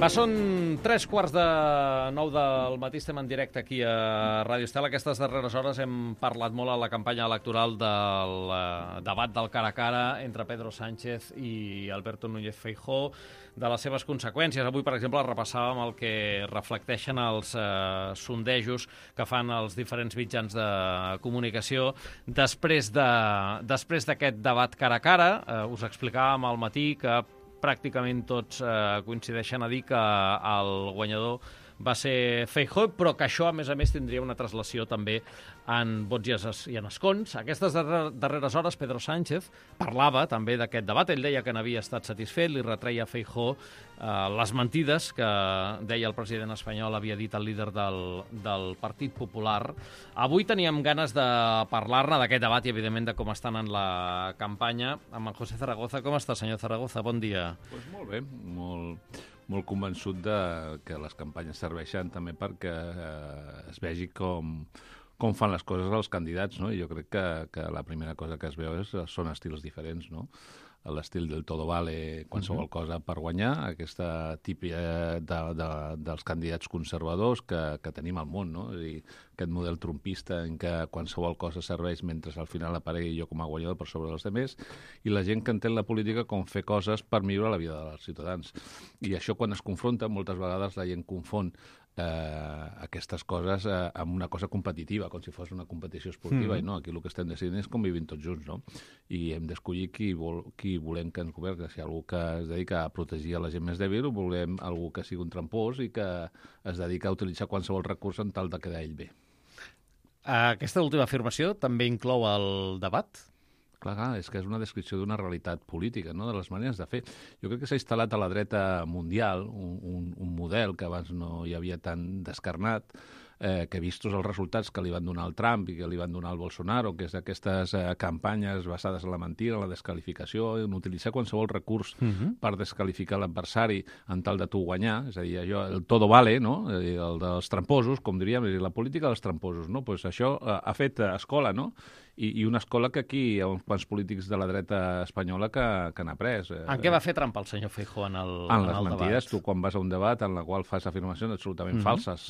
Són 3:45 del matí, estem en directe aquí a Ràdio Estel. Aquestes darreres hores hem parlat molt a la campanya electoral del debat del cara a cara entre Pedro Sánchez i Alberto Núñez Feijóo, de les seves conseqüències. Avui, per exemple, repassàvem el que reflecteixen els sondejos que fan els diferents mitjans de comunicació després d'aquest debat cara a cara. Us explicàvem al matí que pràcticament tots coincideixen a dir que el guanyador va ser Feijóo, però que això, a més, tindria una translació també en vots i en escons. Aquestes darreres hores, Pedro Sánchez parlava també d'aquest debat. Ell deia que n'havia estat satisfet, li retreia a Feijóo les mentides que deia el president espanyol, havia dit el líder del Partit Popular. Avui teníem ganes de parlar-ne d'aquest debat i, evidentment, de com estan en la campanya. Amb en José Zaragoza. Com està, senyor Zaragoza? Bon dia. Pues molt bé, molt convençut que les campanyes serveixen també perquè es vegi com fan les coses els candidats, no? I jo crec que la primera cosa que es veu són estils diferents, no? L'estil del todo vale qualsevol cosa per guanyar, aquesta típica dels candidats conservadors que tenim al món, no? És a dir, aquest model trumpista en què qualsevol cosa serveix mentre al final aparegui jo com a guanyador per sobre dels altres, i la gent que entén la política com fer coses per millorar la vida dels ciutadans. I això, quan es confronta, moltes vegades la gent confon aquestes coses amb una cosa competitiva, com si fos una competició esportiva, i no, aquí el que estem decidint és com vivim tots junts, no? I hem d'escollir qui volem que ens governi, si algú que es dedica a protegir a la gent més dèbil, o volem algú que sigui un trampós i que es dedica a utilitzar qualsevol recurs en tal de quedar ell bé. Aquesta última afirmació també inclou el debat? Clar, és que és una descripció d'una realitat política, no? De les maneres de fer. Jo crec que s'ha instal·lat a la dreta mundial un model que abans no hi havia tan descarnat, que vistos els resultats que li van donar el Trump i que li van donar el Bolsonaro, que és aquestes campanyes basades en la mentira, en la desqualificació, en utilitzar qualsevol recurs per desqualificar l'adversari en tal de tu guanyar, és a dir, allò, el todo vale, no? El dels tramposos, com diríem, la política dels tramposos, no? Pues això ha fet escola, no? I una escola que aquí hi ha uns quants polítics de la dreta espanyola que han après. En què va fer trampa el senyor Feijóo en el debat? En les mentides. Tu, quan vas a un debat en la qual fas afirmacions absolutament falses,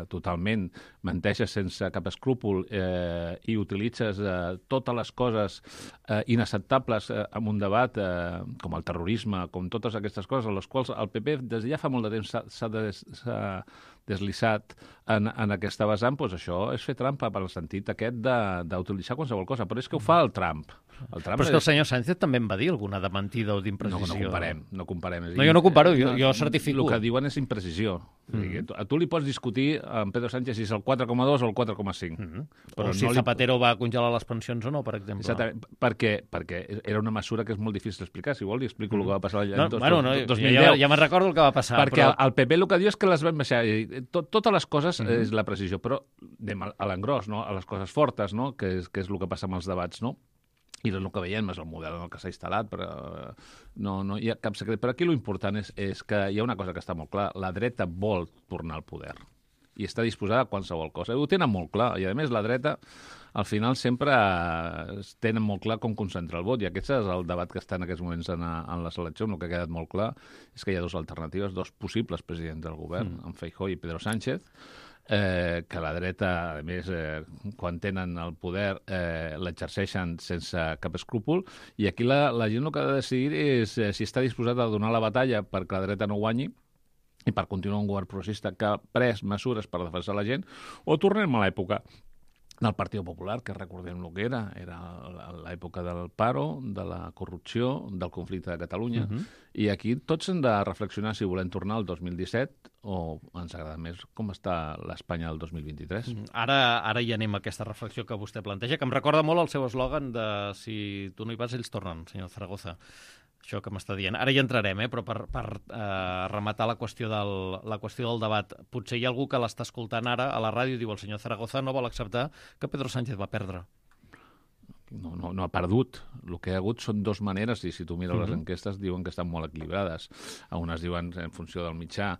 totalment, menteixes sense cap escrúpol i utilitzes totes les coses inacceptables en un debat, com el terrorisme, com totes aquestes coses, a les quals el PP des de ja fa molt de temps s'ha deslissat en aquesta vessant, doncs això és fer trampa per al sentit aquest d'utilitzar qualsevol cosa. Però és que ho fa el Trump. Però és que el senyor Sánchez també en va dir alguna de mentida o d'imprecisió. No comparem. No, jo no comparo, jo certifico. El que diuen és imprecisió. A tu li pots discutir amb Pedro Sánchez si és el 4,2 o el 4,5. Però si Zapatero va congelar les pensions o no, per exemple. Exactament, perquè era una mesura que és molt difícil d'explicar. Si vol, li explico el que va passar l'any 2010. Ja me'n recordo el que va passar. Perquè el PP el que diu és que les van baixar. Totes les coses és la precisió, però anem a l'engròs, no? A les coses fortes, no? Que és el que passa amb els debats, no? I és el que veiem, és el model en el que s'ha instal·lat, però no hi ha cap secret. Però aquí l'important és que hi ha una cosa que està molt clara. La dreta vol tornar al poder i està disposada a qualsevol cosa. Ho tenen molt clar. I, a més, la dreta, al final, sempre tenen molt clar com concentrar el vot. I aquest és el debat que està en aquests moments en les eleccions. El que ha quedat molt clar és que hi ha dues alternatives, dos possibles presidents del govern, en Feijóo i Pedro Sánchez, que la dreta, a més, quan tenen el poder, l'exerceixen sense cap escrúpol, i aquí la gent el que ha de decidir és si està disposat a donar la batalla perquè la dreta no guanyi i per continuar un govern progressista que ha pres mesures per defensar la gent, o tornem a l'època del Partit Popular, que recordem el que era l'època del paro, de la corrupció, del conflicte de Catalunya, i aquí tots hem de reflexionar si volem tornar al 2017 o ens agrada més com està l'Espanya del 2023. Ara hi anem a aquesta reflexió que vostè planteja, que em recorda molt el seu eslògan de si tu no hi vas, ells tornen, senyor Zaragoza. Això que m'està dient. Ara hi entrarem, però per rematar la qüestió del debat. Potser hi ha algú que l'està escoltant ara a la ràdio i diu el senyor Zaragoza no vol acceptar que Pedro Sánchez va perdre. No ha perdut. El que hi ha hagut són dues maneres, i si tu mires les enquestes diuen que estan molt equilibrades. Unes diuen en funció del mitjà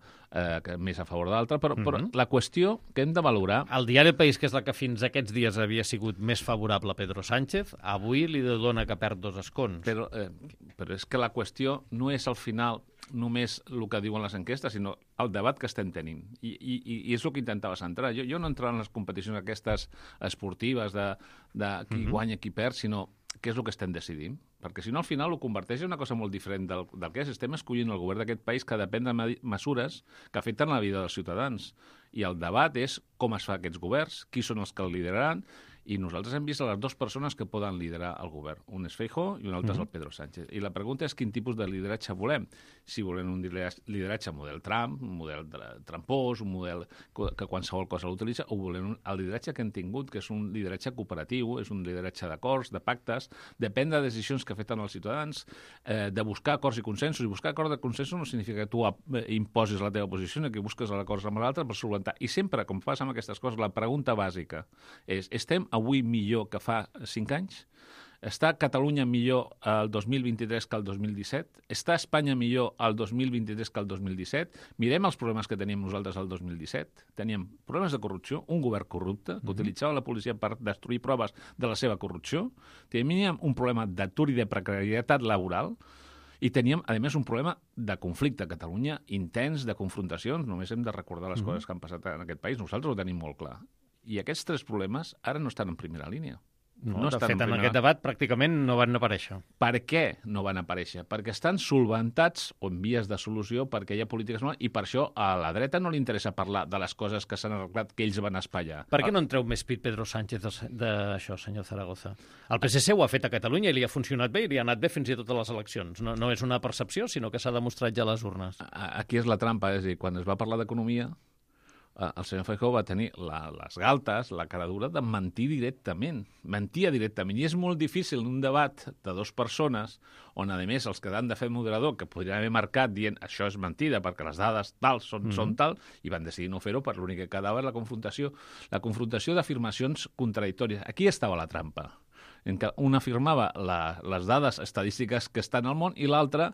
que més a favor de l'altre, però la qüestió que hem de valorar... El diari El País, que és la que fins aquests dies havia sigut més favorable a Pedro Sánchez, avui li dona que perd 2 escons. Però és que la qüestió no és al final només el que diuen les enquestes, sinó el debat que estem tenint. I és el que intentava centrar. Jo no entrava en les competicions aquestes esportives de qui guanya, qui perd, sinó què és el que estem decidint. Perquè si no, al final ho converteix en una cosa molt diferent del que és. Estem escollint el govern d'aquest país que depèn de mesures que afecten la vida dels ciutadans. I el debat és com es fa aquests governs, qui són els que el lideraran, i nosaltres hem vist les dues persones que poden liderar el govern. Un és Feijóo i un altre és el Pedro Sánchez. I la pregunta és quin tipus de lideratge volem. Si volem un lideratge model Trump, un model trampós, un model que qualsevol cosa l'utilitza, o volem el lideratge que hem tingut, que és un lideratge cooperatiu, és un lideratge d'acords, de pactes, depèn de decisions que afecten els ciutadans, de buscar acords i consensos. I buscar acords i consensos no significa que tu imposis la teva posició, sinó que busques acords amb l'altre per solventar. I sempre, com fas amb aquestes coses, la pregunta bàsica és: estem avui millor que fa 5 anys? Està Catalunya millor el 2023 que el 2017? Està Espanya millor el 2023 que el 2017? Mirem els problemes que teníem nosaltres el 2017. Teníem problemes de corrupció, un govern corrupte que utilitzava la policia per destruir proves de la seva corrupció. Teníem un problema d'atur i de precarietat laboral. I teníem, a més, un problema de conflicte a Catalunya intens, de confrontacions. Només hem de recordar les coses que han passat en aquest país. Nosaltres ho tenim molt clar. I aquests 3 problemes ara no estan en primera línia. No, de fet, en aquest debat pràcticament no van aparèixer. Per què no van aparèixer? Perquè estan solventats o en vies de solució perquè hi ha polítiques noves i per això a la dreta no li interessa parlar de les coses que s'han arreglat que ells van espallar. Per què no en treu més pit Pedro Sánchez d'això, senyor Zaragoza? El PSC ho ha fet a Catalunya i li ha funcionat bé i li ha anat bé fins i tot a les eleccions. No és una percepció, sinó que s'ha demostrat ja a les urnes. Aquí és la trampa, és a dir, quan es va parlar d'economia, el senyor Feijóo va tenir les galtes, la cara dura de mentir directament. Mentia directament. I és molt difícil en un debat de 2 persones on, a més, els que han de fer moderador, que podrien haver marcat dient això és mentida perquè les dades tal són tal, i van decidir no fer-ho per l'únic que quedava és la confrontació d'afirmacions contradictòries. Aquí estava la trampa, en què un afirmava les dades estadístiques que estan al món i l'altre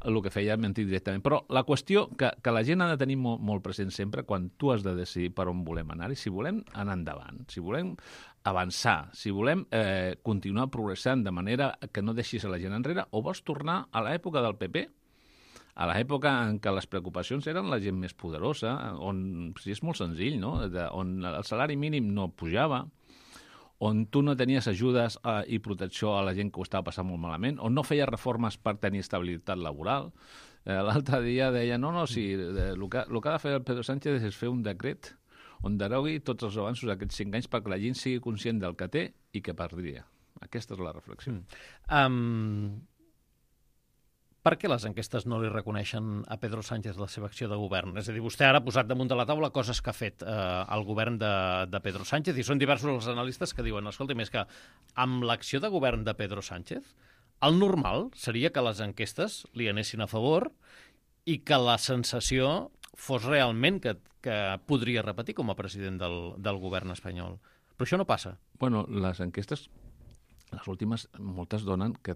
el que feia mentir directament. Però la qüestió que la gent ha de tenir molt present sempre quan tu has de decidir per on volem anar i si volem anar endavant, si volem avançar, si volem continuar progressant de manera que no deixis a la gent enrere, o vols tornar a l'època del PP, a l'època en què les preocupacions eren la gent més poderosa, on sí, és molt senzill, no? On el salari mínim no pujava, on tu no tenies ajudes i protecció a la gent que ho estava passant molt malament, on no feia reformes per tenir estabilitat laboral. L'altre dia deia, sí, el que ha de fer el Pedro Sánchez és fer un decret on derogui tots els avanços d'aquests 5 anys perquè la gent sigui conscient del que té i que perdria. Aquesta és la reflexió. Per què les enquestes no li reconeixen a Pedro Sánchez la seva acció de govern? És a dir, vostè ara ha posat damunt de la taula coses que ha fet el govern de Pedro Sánchez i són diversos els analistes que diuen, escolta, més que amb l'acció de govern de Pedro Sánchez, el normal seria que les enquestes li anessin a favor i que la sensació fos realment que podria repetir com a president del govern espanyol. Però això no passa. Bueno, les enquestes, les últimes, moltes donen que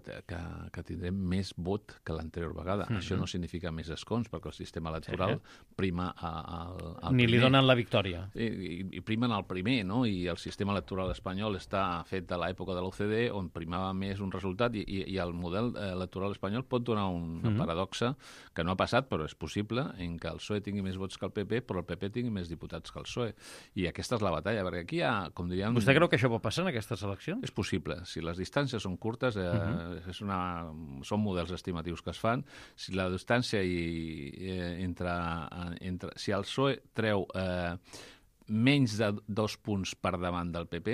tindrem més vot que l'anterior vegada. Això no significa més escons, perquè el sistema electoral prima al primer. Ni li donen la victòria. I primen el primer, no? I el sistema electoral espanyol està fet a l'època de l'OCDE, on primava més un resultat, i el model electoral espanyol pot donar una paradoxa que no ha passat, però és possible, en què el PSOE tingui més vots que el PP, però el PP tingui més diputats que el PSOE. I aquesta és la batalla, perquè aquí hi ha, com diríem... Vostè creu que això pot passar en aquestes eleccions? És possible. Si les distàncies són curtes, són models estimatius que es fan. Si la distància si el PSOE treu menys de 2 punts per davant del PP,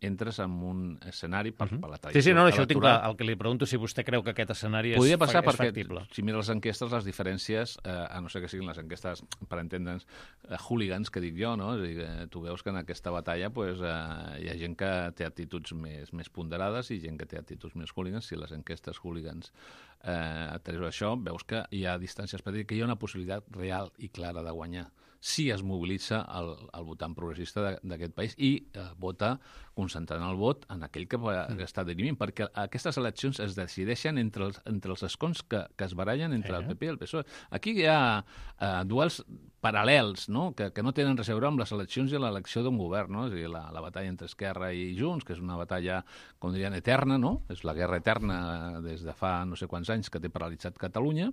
entres en un escenari per la tradició. Sí, no, això ho tinc clar. El que li pregunto si vostè creu que aquest escenari és factible. Podria passar perquè, si mires les enquestes, les diferències, a no ser que siguin les enquestes, per entendre'ns, hooligans, que dic jo, no? És a dir, tu veus que en aquesta batalla hi ha gent que té actituds més ponderades i gent que té actituds més hooligans. Si les enquestes hooligans treus això, veus que hi ha distàncies petites, que hi ha una possibilitat real i clara de guanyar si es mobilitza el votant progressista d'aquest país i vota concentrant el vot en aquell que està dirimint, perquè aquestes eleccions es decideixen entre els escons que es barallen entre el PP i el PSOE. Aquí hi ha duels paral·lels, no? Que no tenen res a veure amb les eleccions i l'elecció d'un govern, no? És a dir, la batalla entre Esquerra i Junts, que és una batalla, com dirien, eterna, no? És la guerra eterna des de fa no sé quants anys que té paralitzat Catalunya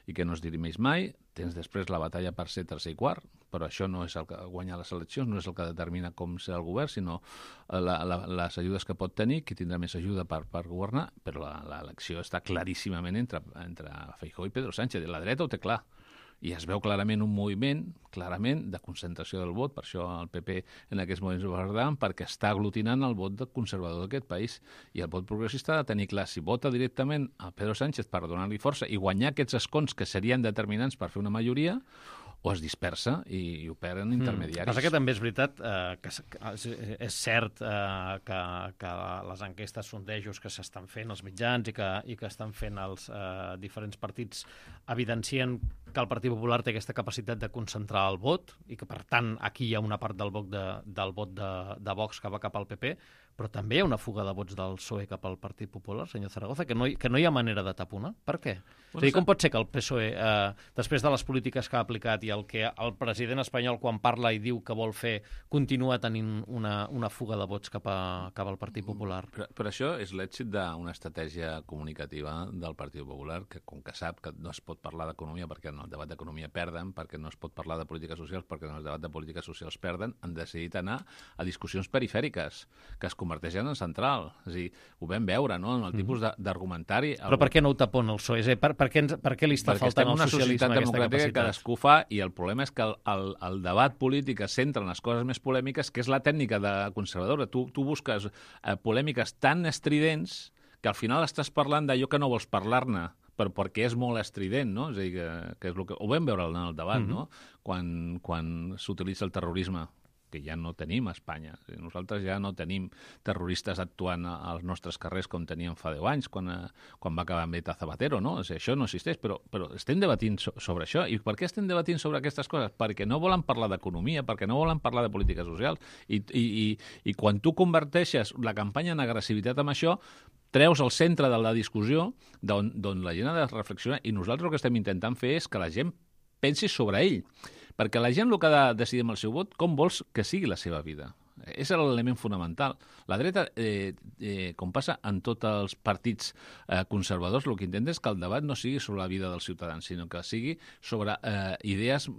i que no es dirimeix mai. Tens després la batalla per ser tercer i quart, però això no és el que guanyar les eleccions, no és el que determina com serà el govern, sinó les ajudes que pot tenir, qui tindrà més ajuda per governar, però l'elecció està claríssimament entre Feijóo i Pedro Sánchez. La dreta ho té clar. I es veu clarament un moviment, de concentració del vot, per això el PP en aquests moments ho guarda, perquè està aglutinant el vot conservador d'aquest país. I el vot progressista ha de tenir clar si vota directament a Pedro Sánchez per donar-li força i guanyar aquests escons que serien determinants per fer una majoria, o es dispersa i operen intermediaris. Passa que també és veritat que és cert que les enquestes, sondejos que s'estan fent, els mitjans i que estan fent els diferents partits evidencien que el Partit Popular té aquesta capacitat de concentrar el vot i que, per tant, aquí hi ha una part del vot de Vox que va cap al PP, però també hi ha una fuga de vots del PSOE cap al Partit Popular, senyor Zaragoza, que no hi ha manera de taponar. Per què? És a dir, com pot ser que el PSOE, després de les polítiques que ha aplicat i el que el president espanyol, quan parla i diu que vol fer, continua tenint una fuga de vots cap al Partit Popular? Però això és l'èxit d'una estratègia comunicativa del Partit Popular, que com que sap que no es pot parlar d'economia perquè en el debat d'economia perden, perquè no es pot parlar de polítiques socials perquè en el debat de polítiques socials perden, han decidit anar a discussions perifèriques, que es converteixen en central. És a dir, ho vam veure, no?, en el tipus d'argumentari. Però per què no ho tapona el PSOE? Per què li està faltant al socialisme aquesta capacitat? Que cadascú fa, i el problema és que el debat polític es centra en les coses més polèmiques, que és la tècnica de conservadora. Tu busques polèmiques tan estridents que al final estàs parlant d'allò que no vols parlar-ne, perquè és molt estrident, no? És a dir, que és el que ho vam veure en el debat, no? Quan s'utilitza el terrorisme, que ja no tenim a Espanya. Nosaltres ja no tenim terroristes actuant als nostres carrers com teníem fa 10 anys, quan va acabar amb ETA Zapatero, no? O sigui, això no existeix, però estem debatint sobre això. I per què estem debatint sobre aquestes coses? Perquè no volen parlar d'economia, perquè no volen parlar de polítiques socials, i quan tu converteixes la campanya en agressivitat amb això, treus al centre de la discussió d'on la gent ha de reflexionar, i nosaltres el que estem intentant fer és que la gent pensi sobre ell. Perquè la gent el que ha de decidir amb el seu vot, com vols que sigui la seva vida. És l'element fonamental. La dreta, com passa en tots els partits conservadors, el que intenta és que el debat no sigui sobre la vida dels ciutadans, sinó que sigui sobre idees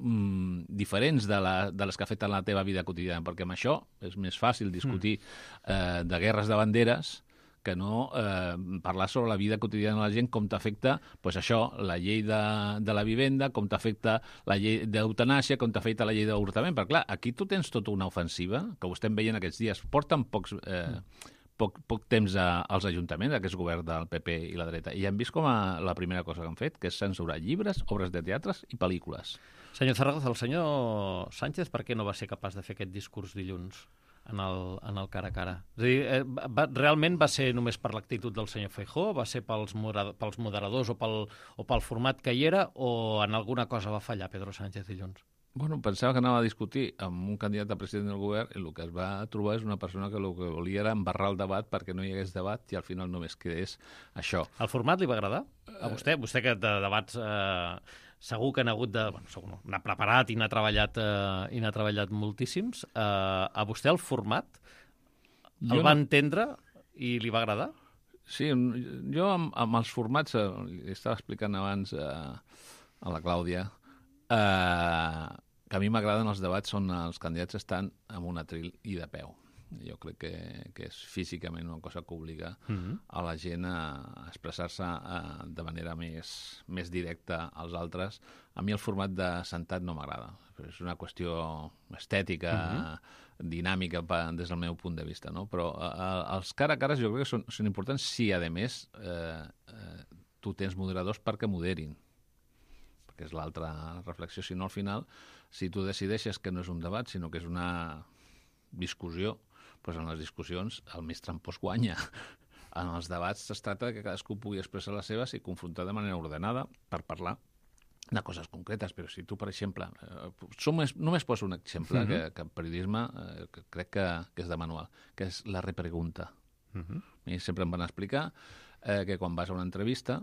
diferents de les que afecten la teva vida quotidiana, perquè amb això és més fàcil discutir de guerres de banderes que no parlar sobre la vida quotidiana de la gent, com t'afecta la llei de la vivenda, com t'afecta la llei d'eutanàsia, com t'afecta la llei d'avortament. Perquè, clar, aquí tu tens tota una ofensiva, que ho estem veient aquests dies, porten poc temps als ajuntaments, aquest govern del PP i la dreta, i han vist com la primera cosa que han fet, que és censurar llibres, obres de teatres i pel·lícules. Senyor Zaragoza, el senyor Sánchez per què no va ser capaç de fer aquest discurs dilluns en el cara a cara? És a dir, realment va ser només per l'actitud del senyor Feijóo, va ser pels moderadors o pel format que hi era, o en alguna cosa va fallar Pedro Sánchez dilluns? Bueno, pensava que anava a discutir amb un candidat a president del govern, i el que es va trobar és una persona que el que volia era embarrar el debat perquè no hi hagués debat i al final només quedés això. El format li va agradar? A vostè que de debats segur que n'ha hagut de... Bueno, n'ha preparat i n'ha treballat moltíssims. A vostè el format va entendre i li va agradar? Sí, jo amb els formats, li estava explicant abans a la Clàudia, que a mi m'agraden els debats on els candidats estan amb un atril i de peu. Jo crec que és físicament una cosa que obliga a la gent a expressar-se de manera més directa als altres. A mi el format de sentat no m'agrada. És una qüestió estètica, dinàmica des del meu punt de vista, no? Però els cara a cares jo crec que són importants si, a més, tu tens moderadors perquè moderin, perquè és l'altra reflexió. Si no, al final, si tu decideixes que no és un debat, sinó que és una discussió, doncs en les discussions el més trampós guanya. En els debats es tracta que cadascú pugui expressar les seves i confrontar de manera ordenada per parlar de coses concretes, però si tu, per exemple, només poso un exemple que en periodisme que crec que és de manual, que és la repregunta. I sempre em van explicar que quan vas a una entrevista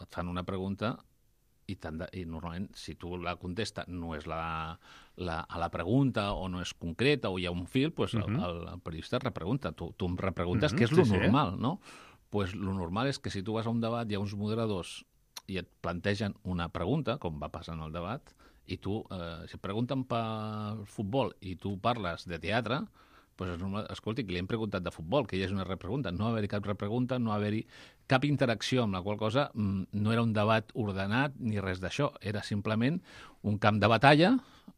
et fan una pregunta i normalment, si tu la contesta no és a la pregunta o no és concreta o hi ha un fil, doncs el periodista et repregunta. Tu em repreguntes què és lo normal, no? Doncs lo normal és que si tu vas a un debat hi ha uns moderadors i et plantegen una pregunta, com va passar en el debat, i tu, si et pregunten pel futbol i tu parles de teatre, doncs és normal, escolti, que li hem preguntat de futbol, que hi hagi una repregunta. No va haver-hi cap repregunta, no va haver-hi cap interacció, amb la qual cosa no era un debat ordenat ni res d'això. Era simplement un camp de batalla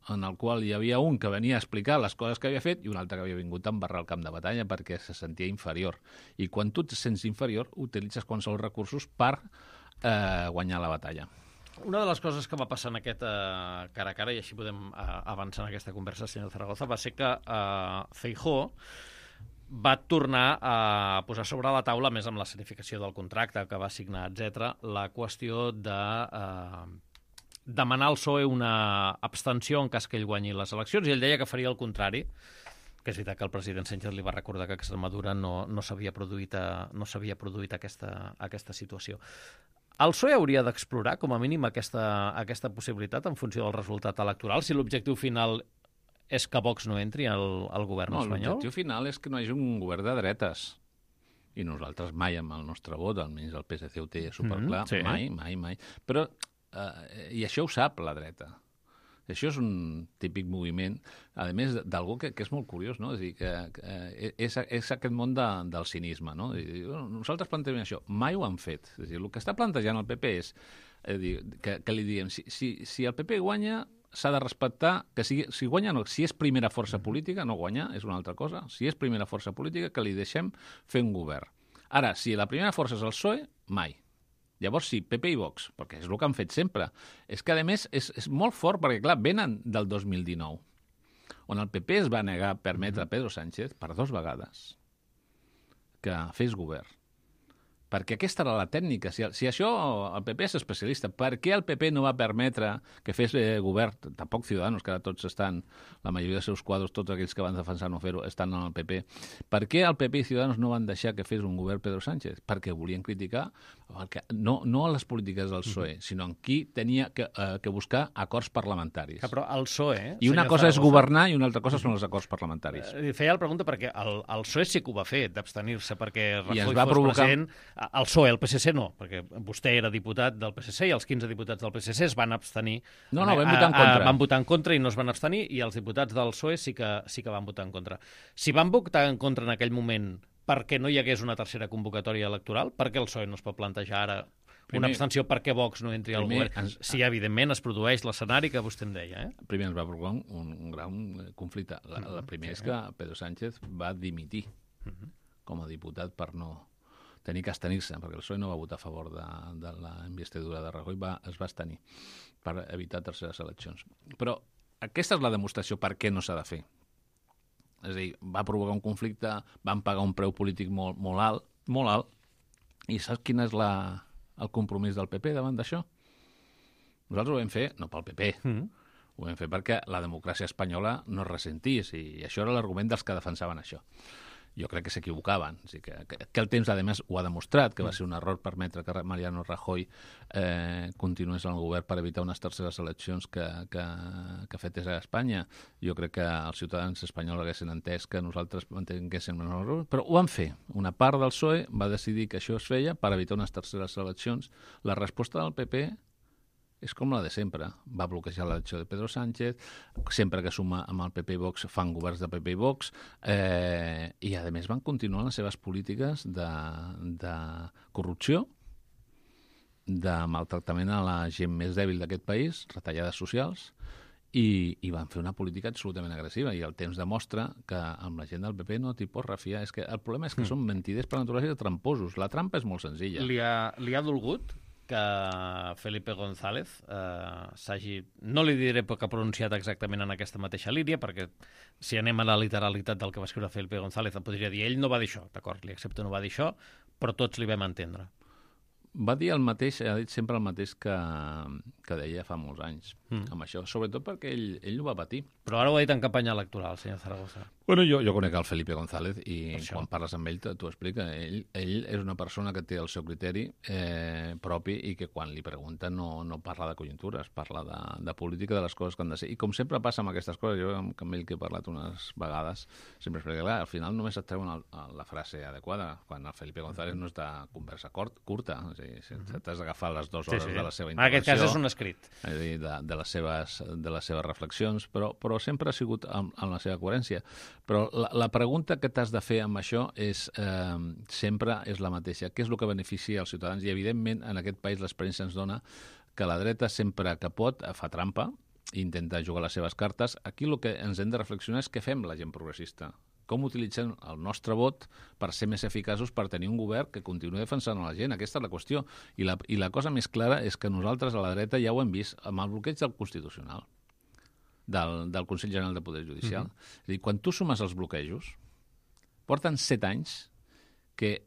en el qual hi havia un que venia a explicar les coses que havia fet i un altre que havia vingut a embarrar el camp de batalla perquè se sentia inferior. I quan tu et sents inferior, utilitzes qualsevol recursos per guanyar la batalla. Una de les coses que va passar en aquest cara a cara, i així podem avançar en aquesta conversa, senyor Zaragoza, va ser que Feijóo va tornar a posar sobre la taula, més amb la certificació del contracte que va signar, etc., la qüestió de demanar al PSOE una abstenció en cas que ell guanyi les eleccions, i ell deia que faria el contrari, que és veritat que el president Sánchez li va recordar que a Extremadura no s'havia produït aquesta situació. El PSOE hauria d'explorar, com a mínim, aquesta possibilitat en funció del resultat electoral, si l'objectiu final és que Vox no entri al govern espanyol? L'objectiu final és que no hi hagi un govern de dretes. I nosaltres mai amb el nostre vot, almenys el PSC ho té superclar, mai. Però, i això ho sap la dreta. Això és un típic moviment, a més d'algú que és molt curiós, no? És a dir, que és aquest món del cinisme, no? És dir, nosaltres plantegem això, mai ho han fet. És a dir, el que està plantejant el PP és que li diguem, si el PP guanya, s'ha de respectar que si guanya, no, si és primera força política, no guanya, és una altra cosa, si és primera força política, que li deixem fer un govern. Ara, si la primera força és el PSOE, mai. Llavors sí, PP i Vox, perquè és el que han fet sempre. És que, a més, és molt fort, perquè, clar, venen del 2019, on el PP es va negar a permetre a Pedro Sánchez, per 2 vegades, que fes govern. Perquè aquesta era la tècnica. Si això el PP és especialista, per què el PP no va permetre que fes govern? Tampoc Ciudadanos, que ara tots estan, la majoria dels seus quadros, tots aquells que van defensar no fer-ho, estan en el PP. Per què el PP i Ciudadanos no van deixar que fes un govern Pedro Sánchez? Perquè volien criticar no a les polítiques del PSOE, sinó en qui tenia que buscar acords parlamentaris. Però el PSOE... I una cosa és governar i una altra cosa són els acords parlamentaris. Feia la pregunta perquè el PSOE sí que ho va fer, d'abstenir-se perquè Rajoy fos president. El PSOE, el PSC no, perquè vostè era diputat del PSC i els 15 diputats del PSC es van abstenir. No, van votar en contra. Van votar en contra i no es van abstenir, i els diputats del PSOE sí que van votar en contra. Si van votar en contra en aquell moment perquè no hi hagués una tercera convocatòria electoral, per què el PSOE no es pot plantejar ara una abstenció perquè Vox no entri al govern? Si, evidentment, es produeix l'escenari que vostè em deia. Primer ens va provocar un gran conflicte. La primera és que Pedro Sánchez va dimitir com a diputat per no tenir que abstenir-se, perquè el PSOE no va votar a favor de la investidura de Rajoy, es va abstenir per evitar terceres eleccions. Però aquesta és la demostració per què no s'ha de fer. És a dir, va provocar un conflicte, van pagar un preu polític molt alt, i saps quin és el compromís del PP davant d'això? Nosaltres ho vam fer, no pel PP, ho vam fer perquè la democràcia espanyola no es ressentís, i això era l'argument dels que defensaven això. Jo crec que s'equivocaven. O sigui que el temps, a més, ho ha demostrat, que va ser un error permetre que Mariano Rajoy continués en el govern per evitar unes terceres eleccions que fetes a Espanya. Jo crec que els ciutadans espanyols haguessin entès que nosaltres mantinguéssim un error, però ho van fer. Una part del PSOE va decidir que això es feia per evitar unes terceres eleccions. La resposta del PP és com la de sempre. Va bloquejar l'elecció de Pedro Sánchez, sempre que suma amb el PP i Vox fan governs de PP i Vox, i a més van continuar les seves polítiques de corrupció, de maltractament a la gent més dèbil d'aquest país, retallades socials, i van fer una política absolutament agressiva, i el temps demostra que amb la gent del PP no t'hi pots refiar. És que el problema és que són mentiders per naturalesa i tramposos. La trampa és molt senzilla. Li ha dolgut que Felipe González s'hagi, no li diré que ha pronunciat exactament en aquesta mateixa línia, perquè si anem a la literalitat del que va escriure Felipe González, em podria dir, ell no va dir això, d'acord, li accepto, no va dir això, però tots li vam entendre. Va dir el mateix, ha dit sempre el mateix que deia fa molts anys, amb això, sobretot perquè ell ho va patir. Però ara ho ha dit en campanya electoral, senyor Zaragoza. Bueno, jo conec el Felipe González i quan parles amb ell t'ho explica. Ell és una persona que té el seu criteri propi i que quan li pregunten no parla de conjuntures, parla de política, de les coses que han de ser. I com sempre passa amb aquestes coses, jo amb ell que he parlat unes vegades, sempre explica, clar, al final només et treuen la frase adequada, quan el Felipe González no és de conversa curta, és a dir, t'has d'agafar les 2 hores de la seva intervenció. En aquest cas és un escrit. És a dir, de les seves reflexions, però sempre ha sigut amb la seva coherència. Però la pregunta que t'has de fer amb això sempre és la mateixa. Què és el que beneficia els ciutadans? I, evidentment, en aquest país l'experiència ens dona que la dreta, sempre que pot, fa trampa i intenta jugar les seves cartes. Aquí el que ens hem de reflexionar és què fem la gent progressista. Com utilitzem el nostre vot per ser més eficaços, per tenir un govern que continuï defensant a la gent. Aquesta és la qüestió. I la cosa més clara és que nosaltres, a la dreta, ja ho hem vist amb el bloqueig del Constitucional, del Consell General de Poder Judicial. És a dir, quan tu sumes els bloquejos, porten 7 anys que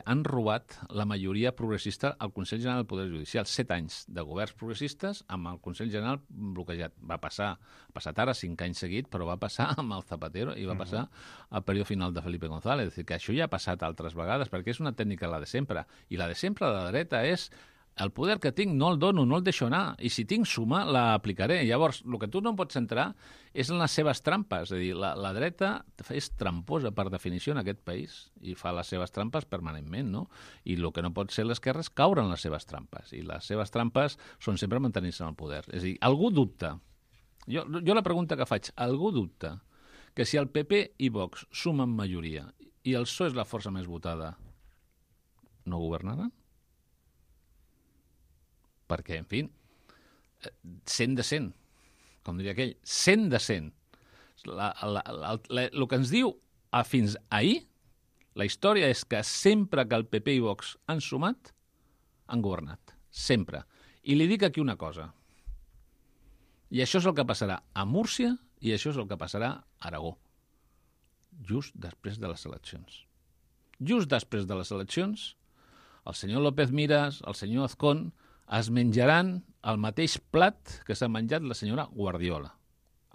han robat la majoria progressista al Consell General del Poder Judicial. 7 anys de governs progressistes amb el Consell General bloquejat. Ha passat ara 5 anys seguit, però va passar amb el Zapatero i va passar al període final de Felipe González. És a dir, que això ja ha passat altres vegades, perquè és una tècnica la de sempre. I la de sempre de la dreta és el poder que tinc no el dono, no el deixo anar, i si tinc suma, l'aplicaré. Llavors, el que tu no pots entrar és en les seves trampes. És a dir, la dreta és tramposa per definició en aquest país i fa les seves trampes permanentment, no? I el que no pot ser l'esquerra és caure en les seves trampes, i les seves trampes són sempre mantenir-se en el poder. És a dir, algú dubta, jo la pregunta que faig, algú dubta que si el PP i Vox sumen majoria i el PSOE és la força més votada, no governaran? Perquè, en fi, 100 de 100, com diria aquell, 100 de 100. El que ens diu fins ahir, la història és que sempre que el PP i Vox han sumat, han governat. Sempre. I li dic aquí una cosa. I això és el que passarà a Múrcia i això és el que passarà a Aragó. Just després de les eleccions. Just després de les eleccions, el senyor López Miras, el senyor Azcón, es menjaran el mateix plat que s'ha menjat la senyora Guardiola.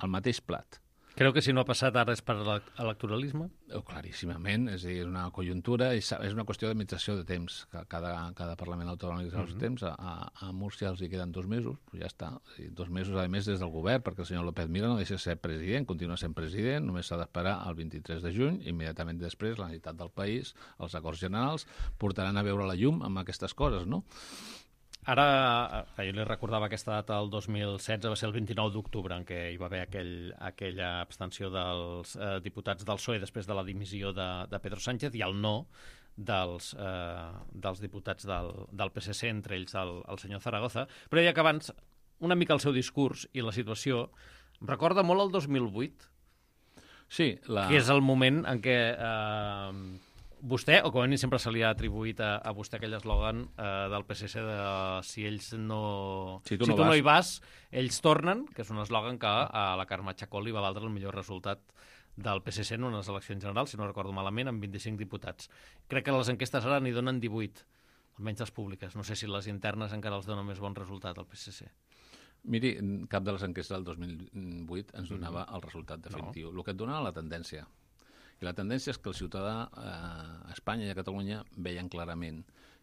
El mateix plat. Creu que si no ha passat ara és per electoralisme? Claríssimament, és a dir, una conjuntura, és una qüestió d'administració de temps. Cada Parlament autonòmic té els temps. A Múrcia els hi queden 2 mesos, ja està. 2 mesos, a més, des del govern, perquè el senyor López Mira no deixa de ser president, continua sent president, només s'ha d'esperar el 23 de juny, immediatament després la necessitat del país, els acords generals, portaran a veure la llum amb aquestes coses, no? Ara, jo li recordava aquesta data del 2016, va ser el 29 d'octubre, en què hi va haver aquella abstenció dels diputats del PSOE després de la dimissió de Pedro Sánchez i el no dels diputats del PSC, entre ells el senyor Zaragoza. Però ja que abans, una mica el seu discurs i la situació, em recorda molt el 2008, sí, que és el moment en què vostè, o com a mínim sempre se li ha atribuït a vostè aquell eslògan del PSC de si ells no... Si tu no hi vas, ells tornen, que és un eslògan que a la Carme Chacón li va valdre el millor resultat del PSC en unes eleccions generals, si no recordo malament, amb 25 diputats. Crec que les enquestes ara n'hi donen 18, almenys les públiques. No sé si les internes encara els donen més bon resultat al PSC. Miri, cap de les enquestes del 2008 ens donava el resultat definitiu. El que et donava la tendència. I la tendència és que el ciutadà a Espanya i a Catalunya veien clarament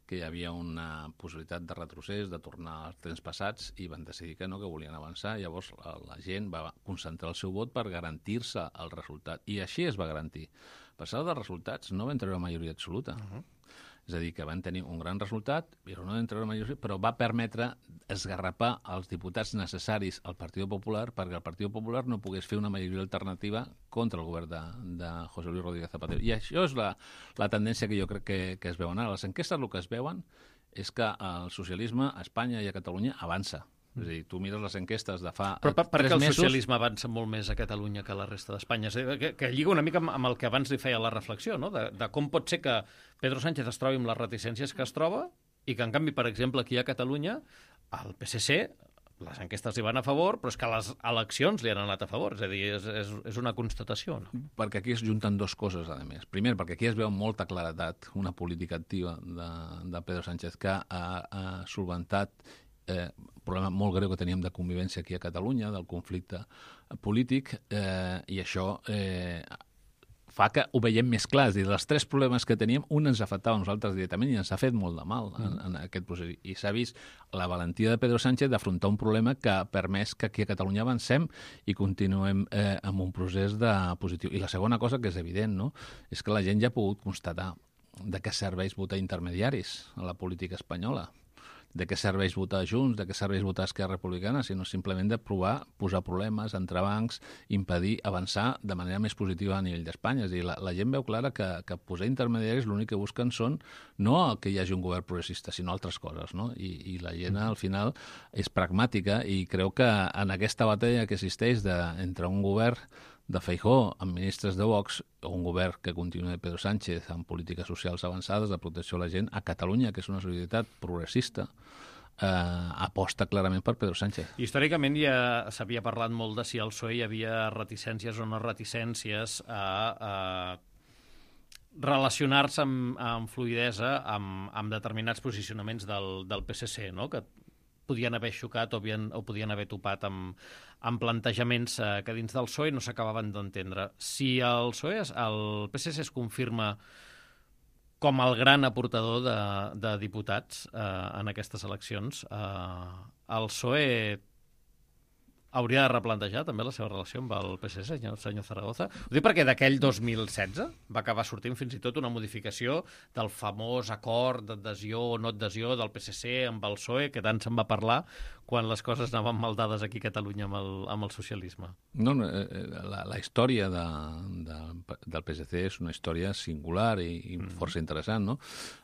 que hi havia una possibilitat de retrocés, de tornar als temps passats, i van decidir que no, que volien avançar. Llavors la gent va concentrar el seu vot per garantir-se el resultat. I així es va garantir. Per sort dels resultats no van treure majoria absoluta. És a dir, que van tenir un gran resultat, però no van treure majoria, però va permetre esgarrapar els diputats necessaris al Partit Popular perquè el Partit Popular no pogués fer una majoria alternativa contra el govern de José Luis Rodríguez Zapatero. I això és la tendència que jo crec que es veuen ara. Les enquestes el que es veuen és que el socialisme a Espanya i a Catalunya avança. És a dir, tu mires les enquestes de fa 3 mesos... Però per què el socialisme avança molt més a Catalunya que a la resta d'Espanya? Que lliga una mica amb el que abans li feia la reflexió, no? De com pot ser que Pedro Sánchez es trobi amb les reticències que es troba i que, en canvi, per exemple, aquí a Catalunya, el PSC les enquestes li van a favor, però és que les eleccions li han anat a favor. És a dir, és una constatació, no? Perquè aquí es junten dues coses, a més. Primer, perquè aquí es veu amb molta claredat una política activa de Pedro Sánchez que ha solventat un problema molt greu que teníem de convivència aquí a Catalunya, del conflicte polític, i això fa que ho veiem més clar. És a dir, dels tres problemes que teníem, un ens afectava a nosaltres directament i ens ha fet molt de mal en aquest procés. I s'ha vist la valentia de Pedro Sánchez d'afrontar un problema que ha permès que aquí a Catalunya avancem i continuem amb un procés positiu. I la segona cosa que és evident, no?, és que la gent ja ha pogut constatar de què serveix votar intermediaris a la política espanyola, de què serveix votar Junts, de què serveix votar Esquerra Republicana, sinó simplement de provar, posar problemes, entrebancs, impedir avançar de manera més positiva a nivell d'Espanya. És a dir, la gent veu clara que posar intermediaris l'únic que busquen són no que hi hagi un govern progressista, sinó altres coses, no? I la gent, al final, és pragmàtica i creu que en aquesta batalla que existeix entre un govern de Feijóo amb ministres de Vox o un govern que continua de Pedro Sánchez amb polítiques socials avançades de protecció a la gent, a Catalunya, que és una societat progressista, aposta clarament per Pedro Sánchez. Històricament ja s'havia parlat molt de si al PSOE hi havia reticències o no reticències a relacionar-se amb fluïdesa amb determinats posicionaments del PSC, no?, que podien haver xocat o podien haver topat amb plantejaments que dins del PSOE no s'acabaven d'entendre. Si el PSC es confirma com el gran aportador de diputats en aquestes eleccions, el PSOE hauria de replantejar també la seva relació amb el PSC, senyor Zaragoza. Ho dic perquè d'aquell 2016 va acabar sortint fins i tot una modificació del famós acord d'adhesió o no adhesió del PSC amb el PSOE, que tant se'n va parlar quan les coses anaven mal dades aquí a Catalunya amb el socialisme. No, la història del PSC és una història singular i força interessant, no?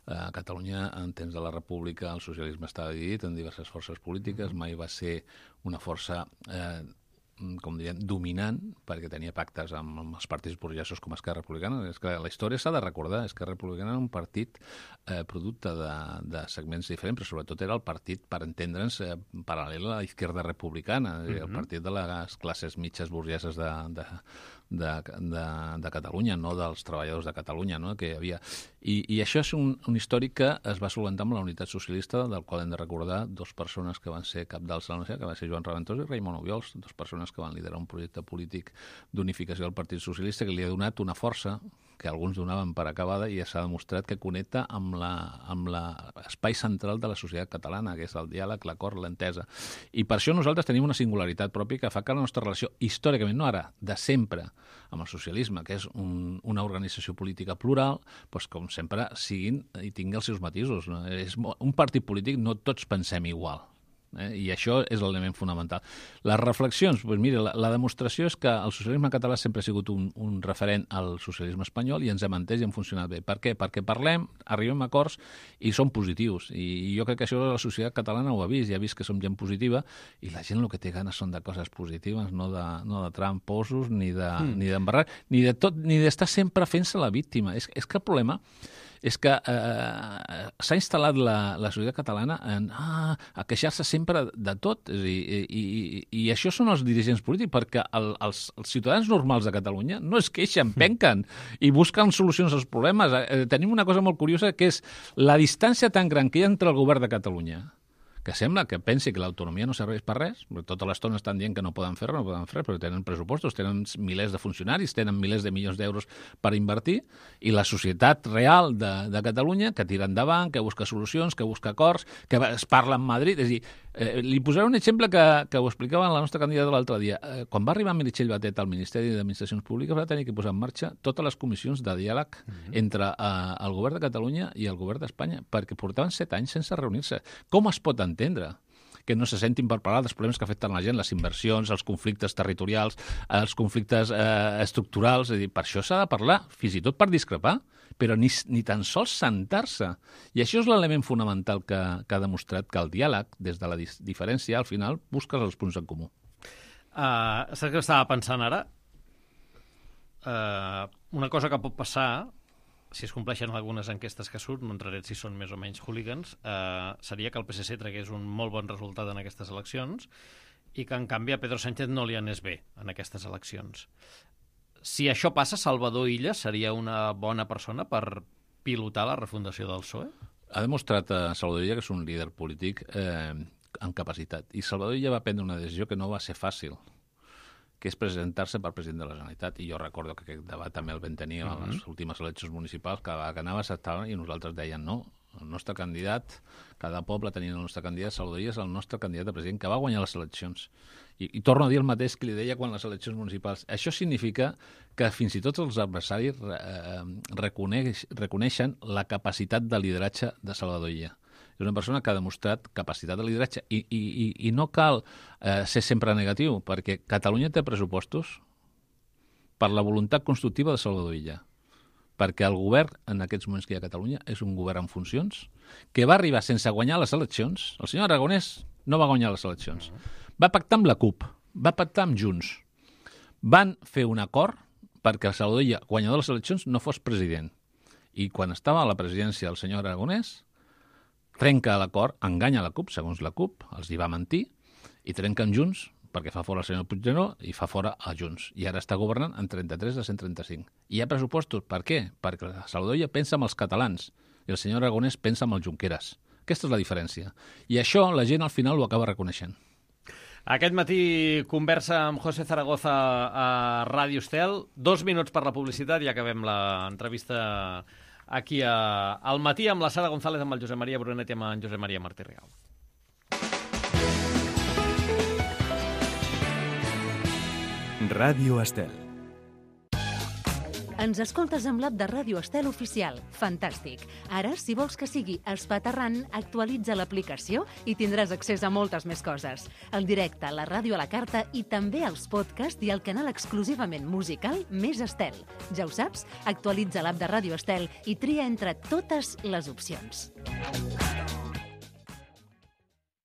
A Catalunya, en temps de la República, el socialisme estava dividit en diverses forces polítiques, mai va ser una força com diríem, dominant, perquè tenia pactes amb els partits burgesos com Esquerra Republicana. És que la història s'ha de recordar. Esquerra Republicana era un partit producte de segments diferents, però sobretot era el partit, per entendre'ns, paral·lel a la Izquierda Republicana, el partit de les classes mitges burgeses de Catalunya, no dels treballadors de Catalunya, no?, que hi havia. I això és un històric que es va solventar amb la Unitat Socialista, del qual hem de recordar dues persones que van ser capdals de la universitat, que va ser Joan Raventós i Raimon Obiols, dues persones que van liderar un projecte polític d'unificació del Partit Socialista que li ha donat una força que alguns donaven per acabada i s'ha demostrat que connecta amb l'espai central de la societat catalana, que és el diàleg, l'acord, l'entesa. I per això nosaltres tenim una singularitat pròpia que fa que la nostra relació, històricament, no ara, de sempre, amb el socialisme, que és una organització política plural, doncs, com sempre, siguin i tingui els seus matisos. No? És un partit polític, no tots pensem igual. I això és l'element fonamental. Les reflexions, doncs mira, la demostració és que el socialisme català sempre ha sigut un referent al socialisme espanyol i ens hem entès i hem funcionat bé. Per què? Perquè parlem, arribem a acords i som positius. I jo crec que això la societat catalana ho ha vist, ja ha vist que som gent positiva i la gent el que té ganes són de coses positives, no de tramposos, ni d'embarrar, ni d'estar sempre fent-se la víctima. És que el problema és que s'ha instal·lat la societat catalana a queixar-se sempre de tot. I això són els dirigents polítics, perquè els ciutadans normals de Catalunya no es queixen, penquen i busquen solucions als problemes. Tenim una cosa molt curiosa, que és la distància tan gran que hi ha entre el govern de Catalunya, que sembla que pensi que l'autonomia no serveix per res, perquè tota l'estona estan dient que no poden fer res, però tenen pressupostos, tenen milers de funcionaris, tenen milers de milions d'euros per invertir, i la societat real de Catalunya, que tira endavant, que busca solucions, que busca acords, que es parla amb Madrid. És a dir, li posaré un exemple que ho explicava la nostra candidata l'altre dia. Quan va arribar Meritxell Batet al Ministeri d'Administracions Públiques va tenir que posar en marxa totes les comissions de diàleg entre el govern de Catalunya i el govern d'Espanya, perquè portaven 7 anys sense reunir-se. Com es pot entendre que no se sentin per parlar dels problemes que afecten la gent, les inversions, els conflictes territorials, els conflictes estructurals? És a dir, per això s'ha de parlar, fins i tot per discrepar, però ni tan sols sentar-se. I això és l'element fonamental que ha demostrat que el diàleg, des de la diferència, al final, busques els punts en comú. Saps què estava pensant ara? Una cosa que pot passar si es compleixen algunes enquestes que surt, no entraré si són més o menys hooligans, seria que el PSC tragués un molt bon resultat en aquestes eleccions i que, en canvi, a Pedro Sánchez no li anés bé en aquestes eleccions. Si això passa, Salvador Illa seria una bona persona per pilotar la refundació del PSOE? Ha demostrat a Salvador Illa que és un líder polític amb capacitat. I Salvador Illa va prendre una decisió que no va ser fàcil, que és presentar-se per president de la Generalitat. I jo recordo que aquest debat també el vam tenir a les últimes eleccions municipals, que anava s'estava i nosaltres deien no, el nostre candidat, cada poble tenia el nostre candidat, Salvador Illa és el nostre candidat a president, que va guanyar les eleccions. I torno a dir el mateix que li deia quan les eleccions municipals. Això significa que fins i tot els adversaris reconeixen la capacitat de lideratge de Salvador Illa. És una persona que ha demostrat capacitat de lideratge i no cal ser sempre negatiu, perquè Catalunya té pressupostos per la voluntat constructiva de Salvador Illa, perquè el govern en aquests moments que hi ha a Catalunya és un govern en funcions que va arribar sense guanyar les eleccions. El senyor Aragonès no va guanyar les eleccions. Va pactar amb la CUP, va pactar amb Junts. Van fer un acord perquè el Salvador Illa, guanyador de les eleccions, no fos president. I quan estava a la presidència el senyor Aragonès, trenca l'acord, enganya la CUP, segons la CUP, els hi va mentir, i trenca amb Junts, perquè fa fora el senyor Puigneró i fa fora a Junts. I ara està governant en 33 de 135. I hi ha pressupostos. Per què? Perquè el Salvador Illa pensa en els catalans i el senyor Aragonès pensa en els Junqueras. Aquesta és la diferència. I això la gent al final ho acaba reconeixent. Aquest matí conversa amb José Zaragoza a Ràdio Estel. 2 minuts per la publicitat i acabem l'entrevista aquí al matí amb la Sara González, amb el Josep Maria Brunet i amb en Josep Maria Martí Rigau. Ràdio Estel. Ens escoltes amb l'app de Ràdio Estel oficial. Fantàstic. Ara, si vols que sigui espaterrant, actualitza l'aplicació i tindràs accés a moltes més coses. El directe, la ràdio a la carta i també els podcasts i el canal exclusivament musical Més Estel. Ja ho saps? Actualitza l'app de Ràdio Estel i tria entre totes les opcions.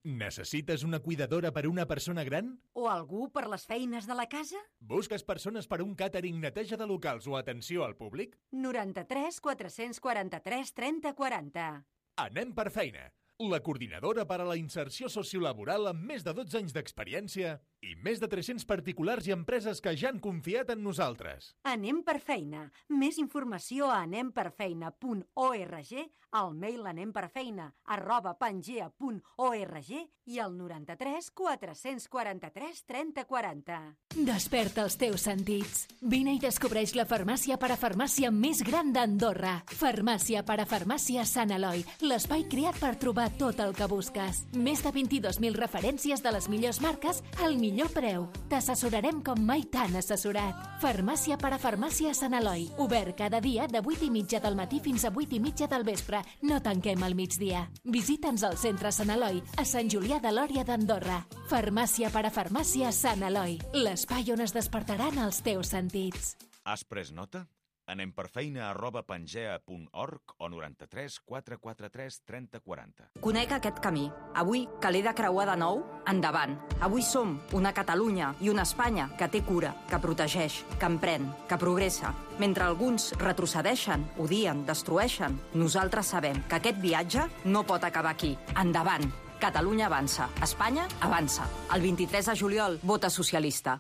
Necessites una cuidadora per a una persona gran? O algú per les feines de la casa? Busques persones per a un càtering, neteja de locals o atenció al públic? 93 443 30 40. Anem per feina. La coordinadora per a la inserció sociolaboral amb més de 12 anys d'experiència i més de 300 particulars i empreses que ja han confiat en nosaltres. Anem per feina. Més informació a anemperfeina.org, al mail anemperfeina@pangea.org i al 93 443 30 40. Desperta els teus sentits. Vine i descobreix la farmàcia parafarmàcia més gran d'Andorra. Farmàcia parafarmàcia Sant Eloi, l'espai creat per trobar tot el que busques. Més de 22.000 referències de les millors marques al millor preu. T'assessorarem com mai t'han assessorat. Farmàcia parafarmàcia Sant Eloi. Obert cada dia de 8:30 del matí fins a 8:30 del vespre. No tanquem al migdia. Visita'ns al centre Sant Eloi, a Sant Julià de Lòria d'Andorra. Farmàcia parafarmàcia Sant Eloi. L'espai on es despertaran els teus sentits. Has pres nota? anemperfeina@pangea.org o 93 443 30 40. Conec aquest camí. Avui, que l'he de creuar de nou, endavant. Avui som una Catalunya i una Espanya que té cura, que protegeix, que emprèn, que progressa. Mentre alguns retrocedeixen, odien, destrueixen, nosaltres sabem que aquest viatge no pot acabar aquí. Endavant. Catalunya avança. Espanya avança. El 23 de juliol, vota socialista.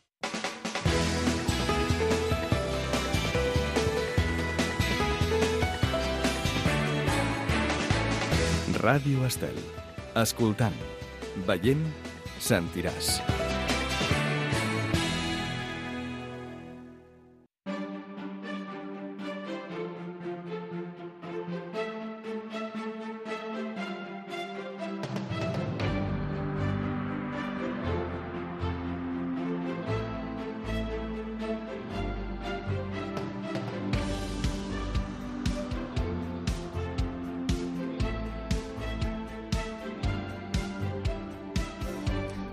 Ràdio Estel. Escoltant, veient, sentiràs.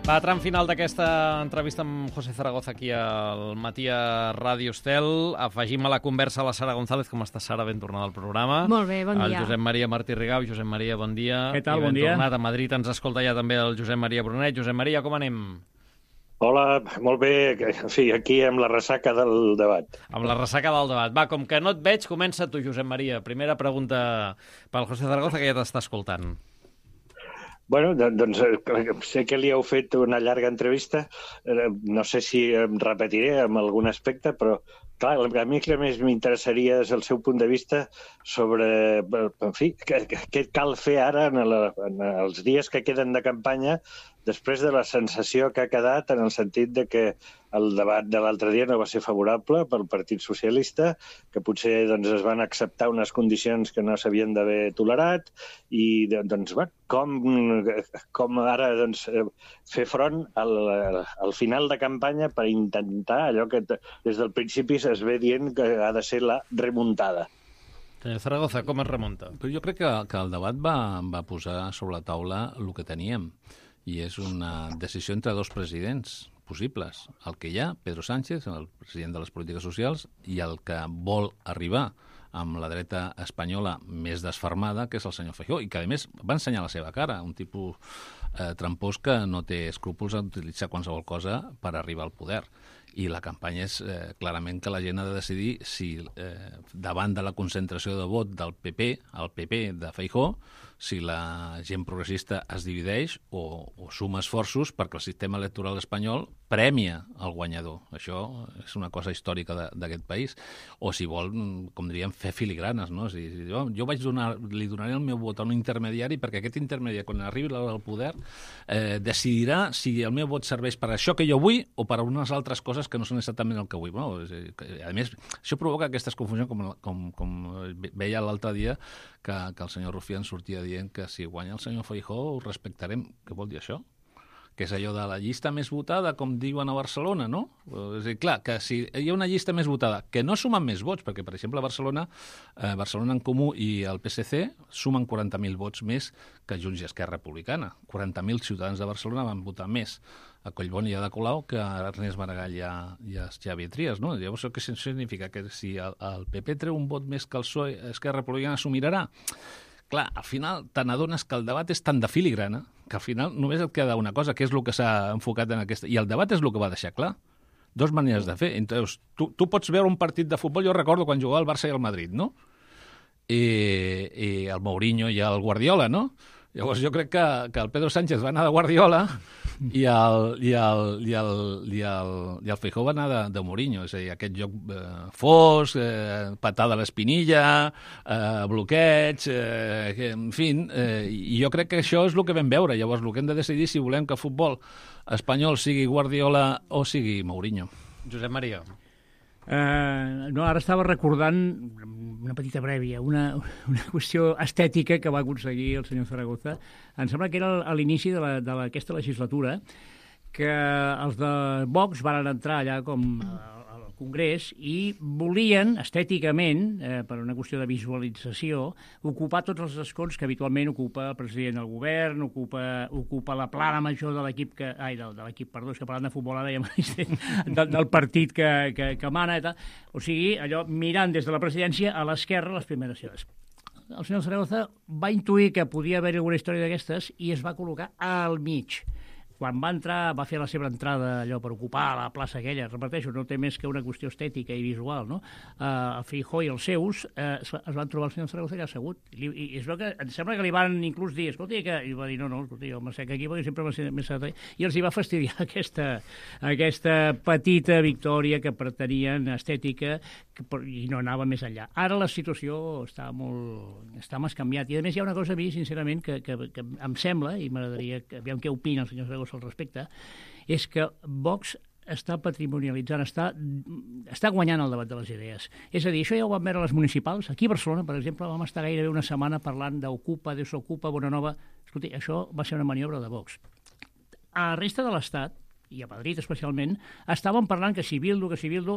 Va, tram final d'aquesta entrevista amb José Zaragoza aquí al matí a Ràdio Estel. Afegim a la conversa a la Sara González. Com està, Sara? Ben tornada al programa. Molt bé, bon dia. El Josep Maria Martí Rigau. Josep Maria, bon dia. Què tal, bon dia. Tornat a Madrid. Ens escolta ja també el Josep Maria Brunet. Josep Maria, com anem? Hola, molt bé. En fi, aquí amb la ressaca del debat. Amb la ressaca del debat. Va, com que no et veig, comença tu, Josep Maria. Primera pregunta pel José Zaragoza, que ja t'està escoltant. Bueno, doncs sé que li heu fet una llarga entrevista. No sé si em repetiré en algun aspecte, però clar, a mi el que més m'interessaria és el seu punt de vista sobre, en fi, què cal fer ara en els dies que queden de campanya després de la sensació que ha quedat en el sentit de que el debat de l'altre dia no va ser favorable pel Partit Socialista, que potser doncs, es van acceptar unes condicions que no s'havien d'haver tolerat i doncs, com ara doncs, fer front al final de campanya per intentar allò que des del principi es ve dient que ha de ser la remuntada. Senyor Zaragoza, com es remunta? Però jo crec que el debat va posar sobre la taula el que teníem, i és una decisió entre dos presidents possibles. El que hi ha, Pedro Sánchez, el president de les polítiques socials, i el que vol arribar amb la dreta espanyola més desfermada, que és el senyor Feijóo, i que, a més, va ensenyar la seva cara, un tipus trampós que no té escrúpols a utilitzar qualsevol cosa per arribar al poder. I la campanya és clarament que la gent ha de decidir si davant de la concentració de vot del PP, el PP de Feijóo, si la gent progressista es divideix o suma esforços perquè el sistema electoral espanyol prèmia el guanyador. Això és una cosa històrica d'aquest país. O si vol, com diríem, fer filigranes, no? Si jo li donaré el meu vot a un intermediari perquè aquest intermediari, quan arribi al poder, decidirà si el meu vot serveix per això que jo vull o per a unes altres coses que no són exactament el que vull. No? A més, això provoca aquestes confusions, com veia l'altre dia, que el senyor Rufián sortia dient que si guanya el senyor Feijóo ho respectarem. Què vol dir això? Que és allò de la llista més votada, com diuen a Barcelona, no? És a dir, clar, que si hi ha una llista més votada, que no sumen més vots, perquè, per exemple, a Barcelona en Comú i el PSC sumen 40.000 vots més que Junts i Esquerra Republicana. 40.000 ciutadans de Barcelona van votar més a Collboni i a Ada Colau que a Ernest Maragall i a Xavier Trias, no? Llavors, què significa? Que si el PP treu un vot més que el PSOE, Esquerra Republicana s'ho mirarà? Clar, al final te n'adones que el debat és tan de filigrana que al final només et queda una cosa, que és el que s'ha enfocat en aquesta... I el debat és el que va deixar clar. Dos maneres de fer. Entonces, tu pots veure un partit de futbol, jo recordo quan jugava el Barça i el Madrid, no? I el Mourinho i el Guardiola, no? Llavors jo crec que el Pedro Sánchez va anar de Guardiola i el Feijóo va anar de Mourinho, és a dir, aquest joc fosc, patada a l'espinilla, bloqueig, en fi, i jo crec que això és el que vam veure. Llavors el que hem de decidir si volem que el futbol espanyol sigui Guardiola o sigui Mourinho. Josep Maria. No, ara estava recordant una petita prèvia, una qüestió estètica que va aconseguir el senyor Zaragoza. Em sembla que era a l'inici d'aquesta legislatura que els de Vox van entrar allà com al Congrés i volien, estèticament, per una qüestió de visualització, ocupar tots els escons que habitualment ocupa el president del govern, ocupa la plana major de l'equip que parlant de futbol ara ja del partit que mana i tal. O sigui, allò mirant des de la presidència a l'esquerra les primeres seves. El senyor Zaragoza va intuir que podia haver alguna història d'aquestes i es va col·locar al mig. Quan va entrar, va fer la seva entrada allò per ocupar la plaça aquella, repeteixo, no té més que una qüestió estètica i visual, no? El Feijóo i els seus es van trobar el senyor Zaragoza que ha assegut. I és que em sembla que li van inclús dir, escolta, i va dir, no, escolta, jo m'assec aquí perquè sempre m'ha més i els hi va fastidiar aquesta petita victòria que pretenien estètica i no anava més enllà. Ara la situació està més canviat. I a més hi ha una cosa a mi, sincerament, que em sembla, i m'agradaria que aviam què opina el senyor Zaragoza al respecte, és que Vox està patrimonialitzant, està guanyant el debat de les idees. És a dir, això ja ho vam veure a les municipals. Aquí a Barcelona, per exemple, vam estar gairebé una setmana parlant d'Ocupa, Desocupa, Bonanova. Escolti, això va ser una maniobra de Vox. A la resta de l'Estat, i a Madrid especialment, estaven parlant que si Bildu,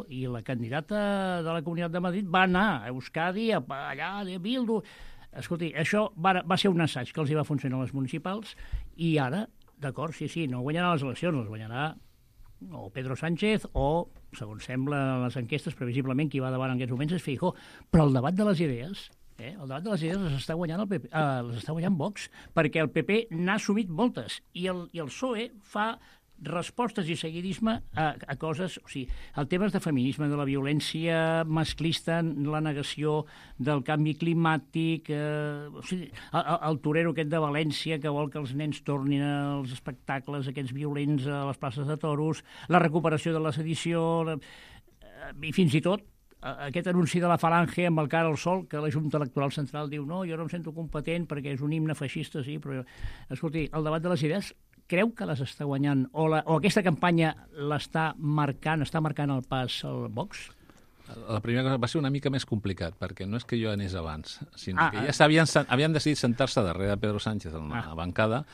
i la candidata de la Comunitat de Madrid va anar a Euskadi, allà, de Bildu. Escolti, això va ser un assaig que els hi va funcionar a les municipals i ara, d'acord, sí, no guanyarà les eleccions, les guanyarà o Pedro Sánchez o, segons sembla en les enquestes, previsiblement qui va davant en aquests moments és Feijóo. Però el debat de les idees, el debat de les idees les està guanyant les està guanyant Vox, perquè el PP n'ha assumit moltes i el PSOE fa respostes i seguidisme a coses... O sigui, el tema de feminisme, de la violència masclista, la negació del canvi climàtic, o sigui, el torero aquest de València que vol que els nens tornin als espectacles aquests violents a les places de toros, la recuperació de la sedició, i fins i tot aquest anunci de la Falange amb el cara al sol, que la Junta Electoral Central diu no, jo no em sento competent perquè és un himne feixista, sí, però... Escolti, el debat de les idees creu que les està guanyant o aquesta campanya està marcant el pas al Vox? La primera cosa va ser una mica més complicat, perquè no és que jo anés abans, sinó que ja havien decidit sentar-se darrere de Pedro Sánchez en la bancada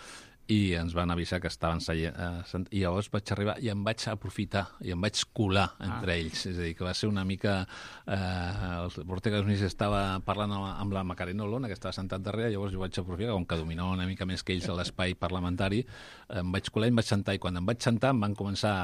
i ens van avisar que estaven seient, i llavors vaig arribar i em vaig aprofitar i em vaig colar entre ells, és a dir, que va ser una mica Ortega Smith estava parlant amb la Macarena Olona que estava sentat darrere, llavors jo vaig aprofitar, com que dominava una mica més que ells a l'espai parlamentari, em vaig colar i em vaig sentar, i quan em vaig sentar em van començar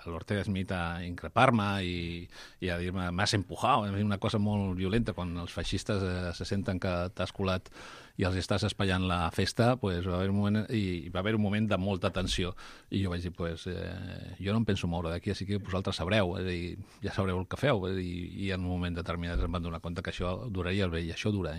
l'Ortega Smith a increpar-me i a dir-me m'has empujat, una cosa molt violenta, quan els feixistes se senten que t'has colat i els estàs espaiant la festa, pues, va haver un moment de molta tensió. I jo vaig dir, jo no em penso moure d'aquí, així que vosaltres sabreu, ja sabreu el que feu. I en un moment determinat em van donar compte que això duraria, i això dura,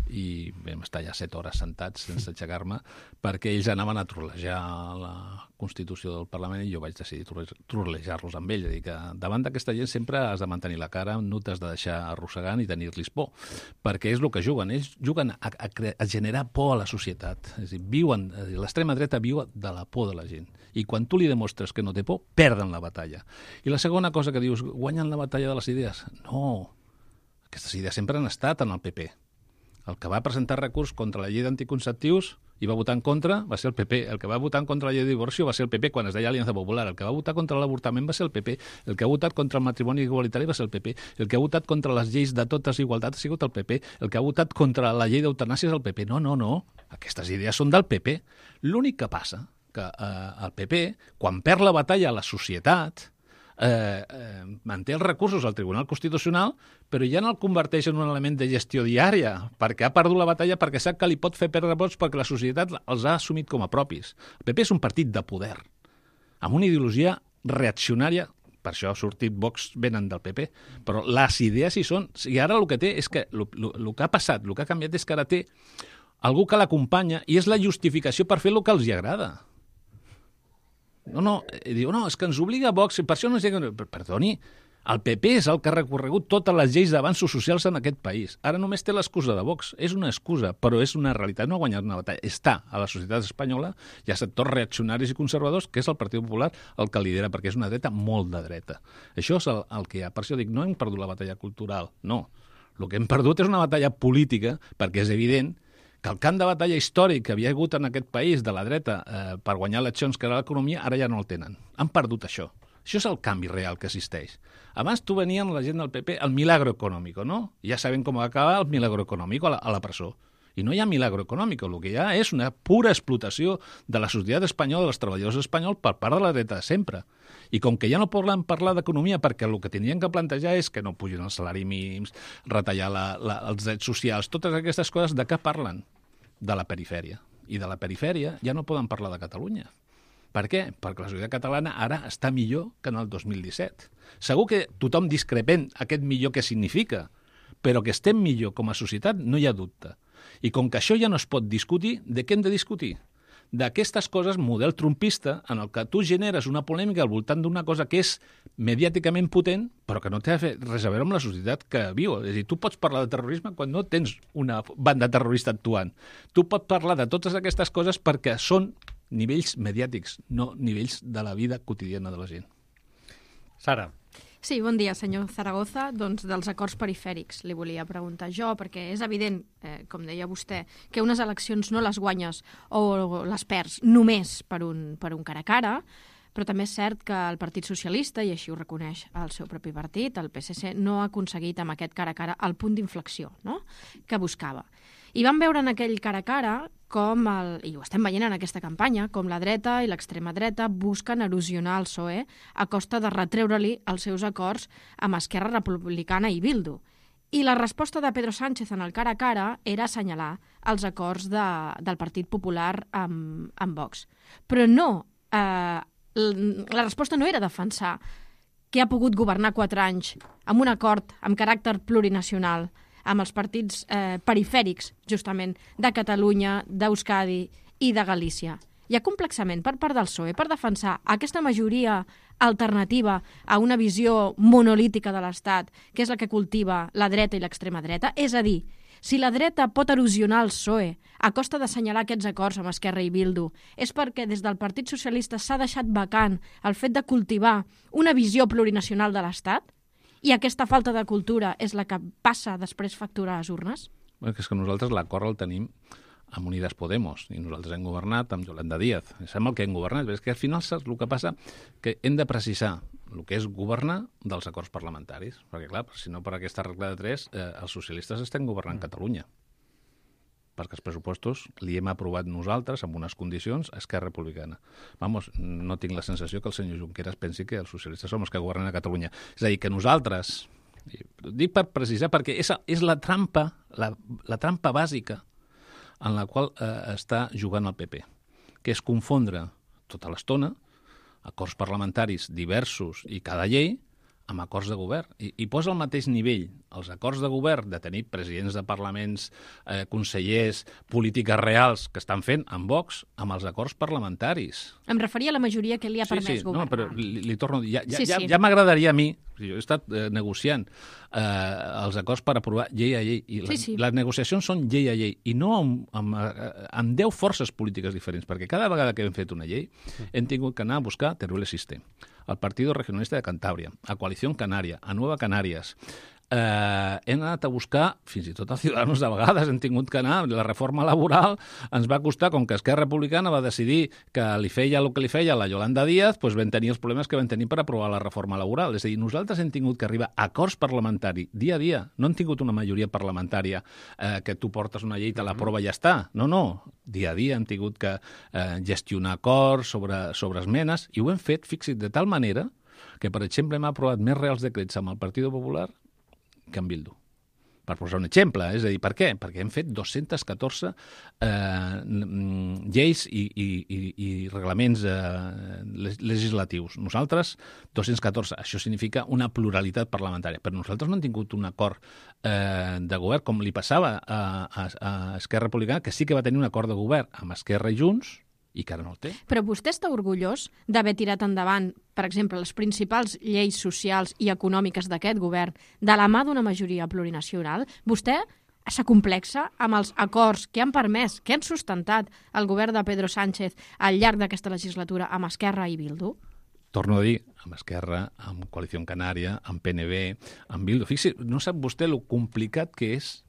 I vam estar ja 7 hores sentats sense aixecar-me, perquè ells anaven a trollejar la Constitució del Parlament i jo vaig decidir trollejar-los amb ells. És a dir, que davant d'aquesta gent sempre has de mantenir la cara, no t'has de deixar arrossegant i tenir-los por, perquè és el que juguen. Ells juguen a generar por a la societat. És a dir, l'extrema dreta viu de la por de la gent. I quan tu li demostres que no té por, perden la batalla. I la segona cosa que dius, guanyen la batalla de les idees? No. Aquestes idees sempre han estat en el PP. El que va presentar recurs contra la llei d'anticonceptius i va votar en contra va ser el PP. El que va votar en contra la llei de divorci va ser el PP quan es deia Aliança Popular. El que va votar contra l'avortament va ser el PP. El que ha votat contra el matrimoni igualitari va ser el PP. El que ha votat contra les lleis de totes igualtats ha sigut el PP. El que ha votat contra la llei d'eutanàsia és el PP. No. Aquestes idees són del PP. L'únic que passa que el PP, quan perd la batalla a la societat, manté els recursos al Tribunal Constitucional, però ja no el converteix en un element de gestió diària, perquè ha perdut la batalla, perquè sap que li pot fer perdre vots perquè la societat els ha assumit com a propis. El PP és un partit de poder, amb una ideologia reaccionària, per això ha sortit Vox, venen del PP, però les idees hi són. I ara el que té és que el que ha passat, el que ha canviat és que ara té algú que l'acompanya i és la justificació per fer el que els agrada. Diu, és que ens obliga Vox, i per això no ens diuen... Perdoni, el PP és el que ha recorregut totes les lleis d'avanços socials en aquest país. Ara només té l'excusa de Vox. És una excusa, però és una realitat. No ha guanyat una batalla. Està a la societat espanyola, hi ha sectors reaccionaris i conservadors, que és el Partit Popular el que lidera, perquè és una dreta molt de dreta. Això és el que hi ha. Per això dic, no hem perdut la batalla cultural, no. El que hem perdut és una batalla política, perquè és evident que el camp de batalla històric que havia hagut en aquest país de la dreta per guanyar eleccions, que era l'economia, ara ja no el tenen. Han perdut això. Això és el canvi real que existeix. Abans tu venien la gent del PP el milagro econòmic, no? Ja sabem com va acabar el milagro econòmic a la presó. I no hi ha milagro econòmic, el que hi ha és una pura explotació de la societat espanyola, dels treballadors espanyols, per part de la dreta de sempre. I com que ja no poden parlar d'economia perquè el que tindrien que plantejar és que no pugin els salaris mínims, retallar els drets socials, totes aquestes coses, de què parlen? De la perifèria. I de la perifèria ja no poden parlar de Catalunya. Per què? Perquè la societat catalana ara està millor que en el 2017. Segur que tothom discrepent aquest millor què significa, però que estem millor com a societat no hi ha dubte. I com que això ja no es pot discutir, de què hem de discutir? D'aquestes coses, model trumpista, en el que tu generes una polèmica al voltant d'una cosa que és mediàticament potent, però que no té res a veure amb la societat que viu. És a dir, tu pots parlar de terrorisme quan no tens una banda terrorista actuant. Tu pots parlar de totes aquestes coses perquè són nivells mediàtics, no nivells de la vida quotidiana de la gent. Sara. Sí, bon dia, senyor Zaragoza. Doncs dels acords perifèrics li volia preguntar jo, perquè és evident, com deia vostè, que unes eleccions no les guanyes o les perds només per un cara a cara, però també és cert que el Partit Socialista, i així ho reconeix el seu propi partit, el PSC, no ha aconseguit amb aquest cara a cara el punt d'inflexió, no?, que buscava. I vam veure en aquell cara a cara com, i ho estem veient en aquesta campanya, com la dreta i l'extrema dreta busquen erosionar el PSOE a costa de retreure-li els seus acords amb Esquerra Republicana i Bildu. I la resposta de Pedro Sánchez en el cara a cara era assenyalar els acords del Partit Popular amb Vox. Però no la resposta no era defensar que ha pogut governar 4 anys amb un acord amb caràcter plurinacional, amb els partits perifèrics, justament, de Catalunya, d'Euskadi i de Galícia. Hi ha complexament per part del PSOE per defensar aquesta majoria alternativa a una visió monolítica de l'Estat, que és la que cultiva la dreta i l'extrema dreta. És a dir, si la dreta pot erosionar el PSOE a costa d'assenyalar aquests acords amb Esquerra i Bildu, és perquè des del Partit Socialista s'ha deixat vacant el fet de cultivar una visió plurinacional de l'Estat i aquesta falta de cultura és la que passa després factura a les urnes? Bé, és que nosaltres l'acord el tenim amb Unides Podemos, i nosaltres hem governat amb Yolanda Díaz. Sembla que hem governat, però és que al final saps el que passa? Que hem de precisar el que és governar dels acords parlamentaris, perquè clar, si no per aquesta regla de 3, els socialistes estem governant Catalunya, perquè els pressupostos li hem aprovat nosaltres amb unes condicions a Esquerra Republicana. Vamos, no tinc la sensació que el senyor Junqueras pensi que els socialistes som els que governen a Catalunya. És a dir, que nosaltres, dic per precisar, perquè és la trampa, la trampa bàsica en la qual està jugant el PP, que és confondre tota l'estona acords parlamentaris diversos i cada llei amb acords de govern. I posa al mateix nivell els acords de govern de tenir presidents de parlaments, consellers, polítiques reals que estan fent amb Vox, amb els acords parlamentaris. Em referia a la majoria que li ha permès governar. No, però li torno a dir, ja m'agradaria a mi, jo he estat negociant els acords per aprovar llei a llei, i les negociacions són llei a llei, i no amb 10 forces polítiques diferents, perquè cada vegada que hem fet una llei hem tingut que anar a buscar Teruel Existe, al Partido Regionalista de Cantàbria, a Coalición Canaria, a Nueva Canarias. Hem anat a buscar, fins i tot a Ciudadanos de vegades hem tingut que anar, la reforma laboral ens va costar, com que Esquerra Republicana va decidir que li feia el que li feia la Yolanda Díaz, doncs vam tenir els problemes que vam tenir per aprovar la reforma laboral. És a dir, nosaltres hem tingut que arribar a acords parlamentaris dia a dia. No hem tingut una majoria parlamentària que tu portes una llei, te l'aprova i ja està. No. Dia a dia hem tingut que gestionar acords sobre esmenes, i ho hem fet, fixa't, de tal manera que, per exemple, hem aprovat més Reals Decrets amb el Partit Popular que en Bildu. Per posar un exemple, és a dir, per què? Perquè hem fet 214 lleis i reglaments legislatius. Nosaltres, 214. Això significa una pluralitat parlamentària. Però nosaltres no hem tingut un acord de govern, com li passava a Esquerra Republicana, que sí que va tenir un acord de govern amb Esquerra i Junts, i que ara no el té. Però vostè està orgullós d'haver tirat endavant, per exemple, les principals lleis socials i econòmiques d'aquest govern de la mà d'una majoria plurinacional? Vostè s'acomplexa amb els acords que han permès, que han sustentat el govern de Pedro Sánchez al llarg d'aquesta legislatura amb Esquerra i Bildu? Torno a dir, amb Esquerra, amb Coalició Canària, amb PNB, amb Bildu. Fixi, no sap vostè lo complicat que és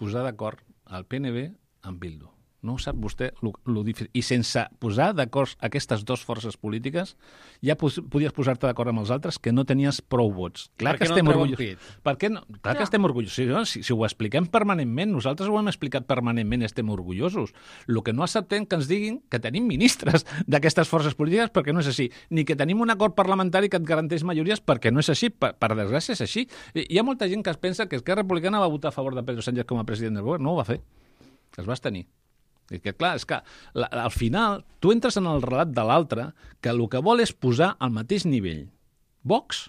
posar d'acord el PNB amb Bildu. No ho sap vostè lo difícil. I sense posar d'acord aquestes dues forces polítiques, ja podies posar-te d'acord amb els altres que no tenies prou vots. Clar que estem orgullosos. Per què no? Clar que estem orgullosos. Si ho expliquem permanentment, nosaltres ho hem explicat permanentment, estem orgullosos. El que no acceptem que ens diguin que tenim ministres d'aquestes forces polítiques, perquè no és així. Ni que tenim un acord parlamentari que et garanteix majories, perquè no és així. Per desgràcia és així. Hi ha molta gent que es pensa que Esquerra Republicana va votar a favor de Pedro Sánchez com a president del govern. No ho va fer. Es va abstenir. És que, clar, és que al final tu entres en el relat de l'altre que el que vol és posar al mateix nivell Vox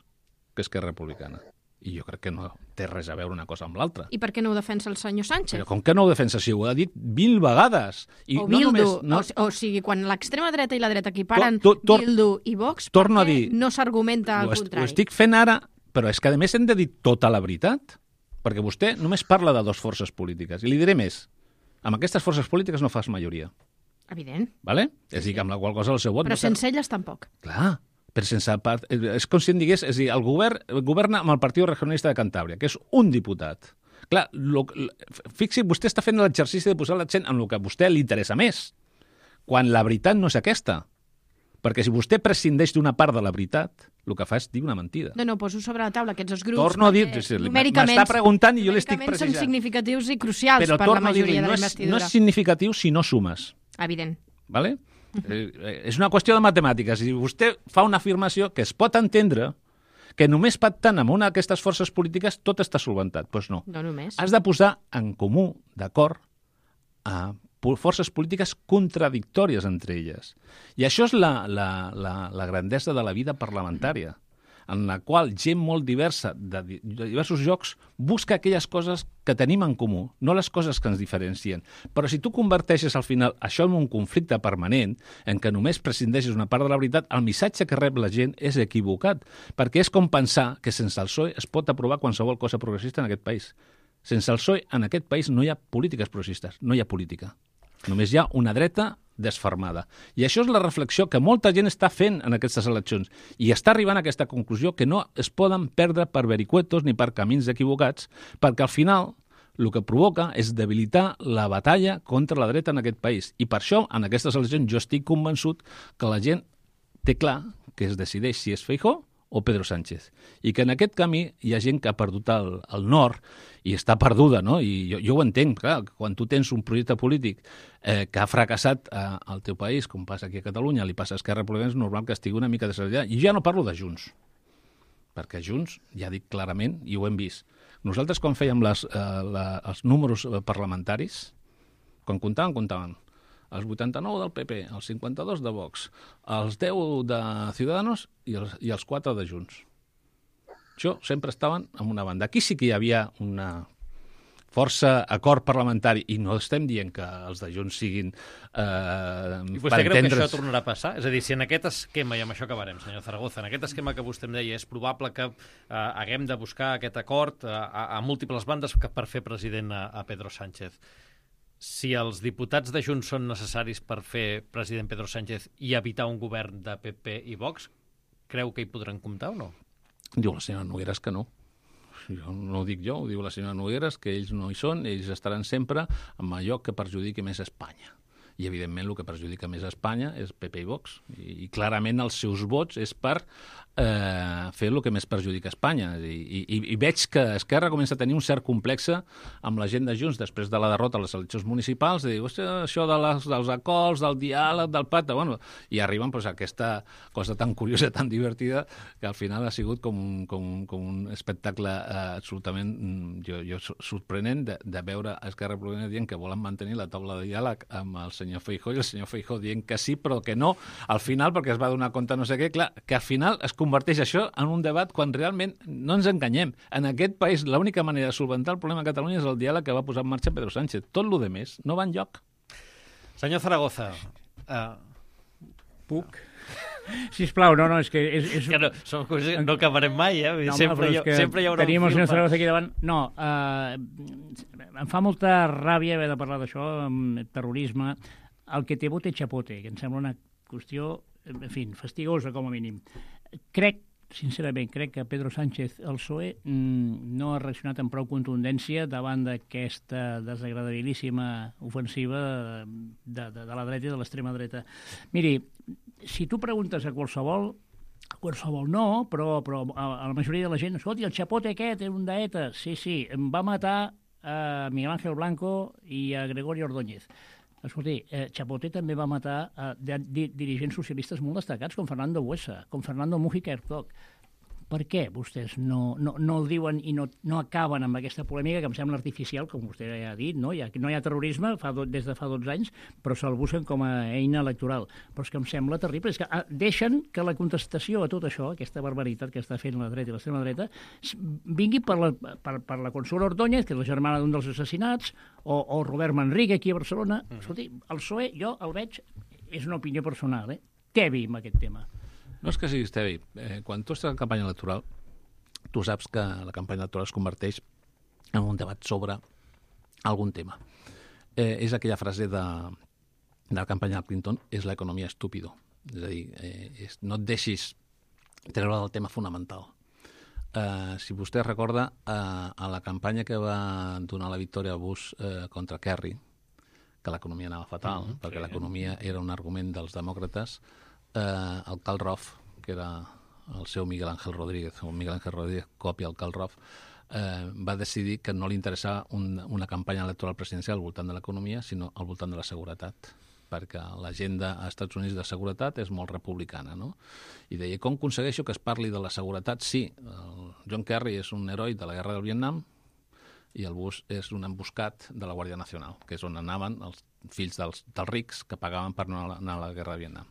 que Esquerra Republicana. I jo crec que no té res a veure una cosa amb l'altra. I per què no ho defensa el senyor Sánchez? Però com que no ho defensa? Si ho ha dit 20 vegades. I o Bildu. O sigui, quan l'extrema dreta i la dreta equiparen Bildu i Vox, per què no s'argumenta al contrari? Ho estic fent ara, però és que a més hem de dir tota la veritat. Perquè vostè només parla de dues forces polítiques. I li diré més. Amb aquestes forces polítiques no fas majoria. Evident. Vale? És a dir, que amb la qual cosa el seu vot... Però sense elles tampoc. Clar, però sense part... És com si em digués... És a dir, el govern governa amb el Partit Regionalista de Cantàbria, que és un diputat. Clar, fixi, vostè està fent l'exercici de posar l'accent en el que a vostè li interessa més, quan la veritat no és aquesta. Perquè si vostè prescindeix d'una part de la veritat, el que fa és dir una mentida. No, poso sobre la taula aquests dos grups. Torno a dir, m'està preguntant i jo l'estic Numèricament precisant. són significatius i crucials per la majoria de la investidura. No és significatiu si no sumes. Evident. Vale? És una qüestió de matemàtiques. Si vostè fa una afirmació que es pot entendre que només pactant amb una d'aquestes forces polítiques tot està solventat. Doncs no. No només. Has de posar en comú, d'acord, a forces polítiques contradictòries entre elles. I això és la grandesa de la vida parlamentària, en la qual gent molt diversa de diversos llocs busca aquelles coses que tenim en comú, no les coses que ens diferencien. Però si tu converteixes al final això en un conflicte permanent, en què només prescindeixes una part de la veritat, el missatge que rep la gent és equivocat, perquè és com pensar que sense el PSOE es pot aprovar qualsevol cosa progressista en aquest país. Sense el PSOE en aquest país no hi ha polítiques progressistes, no hi ha política. Només hi ha una dreta desfermada. I això és la reflexió que molta gent està fent en aquestes eleccions i està arribant a aquesta conclusió que no es poden perdre per vericuetos ni per camins equivocats, perquè al final el que provoca és debilitar la batalla contra la dreta en aquest país. I per això, en aquestes eleccions, jo estic convençut que la gent té clar que es decideix si és Feijóo o Pedro Sánchez. I que en aquest camí hi ha gent que ha perdut el nord i està perduda, no? I jo ho entenc, clar, quan tu tens un projecte polític que ha fracassat al teu país, com passa aquí a Catalunya, li passa a Esquerra Republicana, és normal que estigui una mica desallà. I ja no parlo de Junts, perquè Junts, ja dic clarament, i ho hem vist. Nosaltres, quan fèiem els números parlamentaris, quan comptaven els 89 del PP, els 52 de Vox, els 10 de Ciudadanos i els 4 de Junts. Això sempre estaven en una banda. Aquí sí que hi havia una força acord parlamentari, i no estem dient que els de Junts siguin I vostè creu que això tornarà a passar? És a dir, si en aquest esquema, i amb això acabarem, senyor Zaragoza, en aquest esquema que vostè em deia, és probable que haguem de buscar aquest acord a múltiples bandes per fer president a Pedro Sánchez. Si els diputats de Junts són necessaris per fer president Pedro Sánchez i evitar un govern de PP i Vox, creu que hi podran comptar o no? Diu la senyora Nogueras que no. No ho dic jo, ho diu la senyora Nogueras, que ells no hi són, ells estaran sempre amb allò que perjudiqui més Espanya. I, evidentment, el que perjudica més a Espanya és PP i Vox. I clarament els seus vots és per fer el que més perjudica Espanya. I veig que Esquerra comença a tenir un cert complex amb la gent de Junts després de la derrota a les eleccions municipals, de dir, això dels acords, del diàleg, del pacte, bueno, i arriben a aquesta cosa tan curiosa, tan divertida, que al final ha sigut com un espectacle absolutament sorprenent de veure Esquerra Republicana dient que volen mantenir la taula de diàleg amb el senyor Feijóo i el senyor Feijóo dient que sí, però que no, al final, perquè es va donar compte no sé què, clar, que al final es converteix això en un debat quan realment no ens enganyem. En aquest país l'única manera de solventar el problema a Catalunya és el diàleg que va posar en marxa Pedro Sánchez. Tot lo demés no va enlloc. Senyor Zaragoza, puc? Sisplau, no, és que... És que no acabarem mai, No, sempre hi haurà un tenim el senyor fil. Zaragoza aquí davant. No, em fa molta ràbia haver de parlar d'això, amb terrorisme. El que té bo té xapote, que em sembla una qüestió, en fi, fastigosa com a mínim. Sincerament, crec que Pedro Sánchez, el PSOE, no ha reaccionat amb prou contundència davant d'aquesta desagradabilíssima ofensiva de la dreta i de l'extrema dreta. Miri, si tu preguntes a qualsevol no, però a la majoria de la gent, escolti, el xapote aquest era un d'ETA. Sí, va matar a Miguel Ángel Blanco i a Gregorio Ordóñez. Escolti, Chapote també va matar dirigents socialistes molt destacats, com Fernando Buesa, com Fernando Mújica Herzog. Per què vostès no el diuen i no acaben amb aquesta polèmica que em sembla artificial, com vostè ja ha dit, no hi ha terrorisme des de fa 12 anys, però se'l busquen com a eina electoral. Però és que em sembla terrible, és que deixen que la contestació a tot això, aquesta barbaritat que està fent la dreta i l'extrema dreta, vingui per la Consuelo Ordóñez, que és la germana d'un dels assassinats, o Robert Manrique, aquí a Barcelona. Escolti, el PSOE, jo el veig, és una opinió personal, tebi amb aquest tema. No és que siguis tebi. Quan tu estàs en campanya electoral, tu saps que la campanya electoral es converteix en un debat sobre algun tema. És aquella frase de la campanya de Clinton, és l'economia estúpido. És a dir, no et deixis treure del tema fonamental. Si vostè recorda, a la campanya que va donar la victòria a Bush contra Kerry, que l'economia anava fatal, perquè l'economia era un argument dels demòcrates, el Karl Rove, que era el seu Miguel Ángel Rodríguez, o Miguel Ángel Rodríguez copia el Karl Rove, va decidir que no li interessava una campanya electoral presidencial al voltant de l'economia, sinó al voltant de la seguretat, perquè l'agenda als Estats Units de seguretat és molt republicana, no? I deia, com aconsegueixo que es parli de la seguretat? Sí, el John Kerry és un heroi de la guerra del Vietnam, i el bus és un emboscat de la Guàrdia Nacional, que és on anaven els fills dels rics que pagaven per anar a la guerra de Vietnam.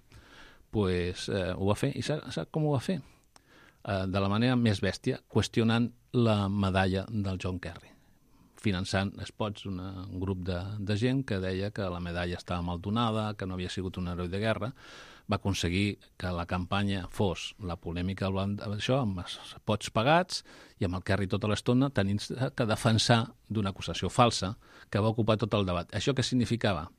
Pues ho va fer, i sap com ho va fer? De la manera més bèstia, qüestionant la medalla del John Kerry, finançant spots un grup de gent que deia que la medalla estava mal donada, que no havia sigut un heroi de guerra. Va aconseguir que la campanya fos la polèmica això, amb els spots pagats i amb el Kerry tota l'estona tenint que defensar d'una acusació falsa que va ocupar tot el debat. Això què significava?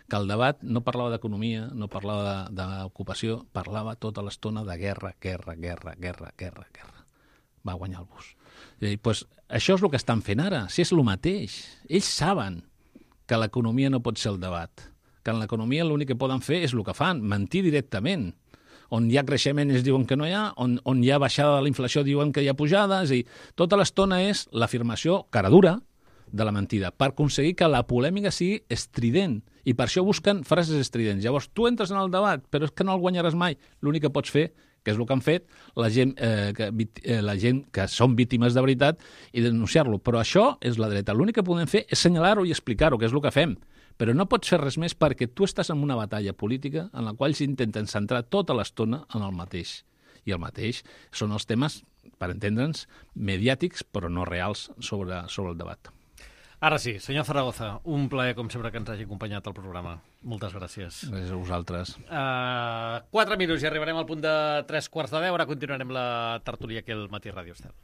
Que el debat no parlava d'economia, no parlava d'ocupació, parlava tota l'estona de guerra. Va guanyar el bus. I pues, això és el que estan fent ara, si és el mateix. Ells saben que l'economia no pot ser el debat, que en l'economia l'únic que poden fer és el que fan, mentir directament. On hi ha creixement es diuen que no hi ha, on hi ha baixada de la inflació diuen que hi ha pujada, és a dir, tota l'estona és l'afirmació cara dura de la mentida, per aconseguir que la polèmica sigui estrident, i per això busquen frases estridents. Llavors, tu entres en el debat, però és que no el guanyaràs mai. L'únic que pots fer, que és el que han fet, la gent que són víctimes de veritat, i denunciar-lo. Però això és la dreta. L'únic que podem fer és assenyalar-ho i explicar-ho, que és el que fem. Però no pots fer res més perquè tu estàs en una batalla política en la qual s'intenten centrar tota l'estona en el mateix. I el mateix són els temes, per entendre'ns, mediàtics, però no reals sobre el debat. Ara sí, senyor Zaragoza, un plaer, com sempre, que ens hagi acompanyat al programa. Moltes gràcies. Gràcies a vosaltres. 4 minuts i arribarem al punt de 3:15. Ara continuarem la tertúlia aquí al Matí Ràdio Estel.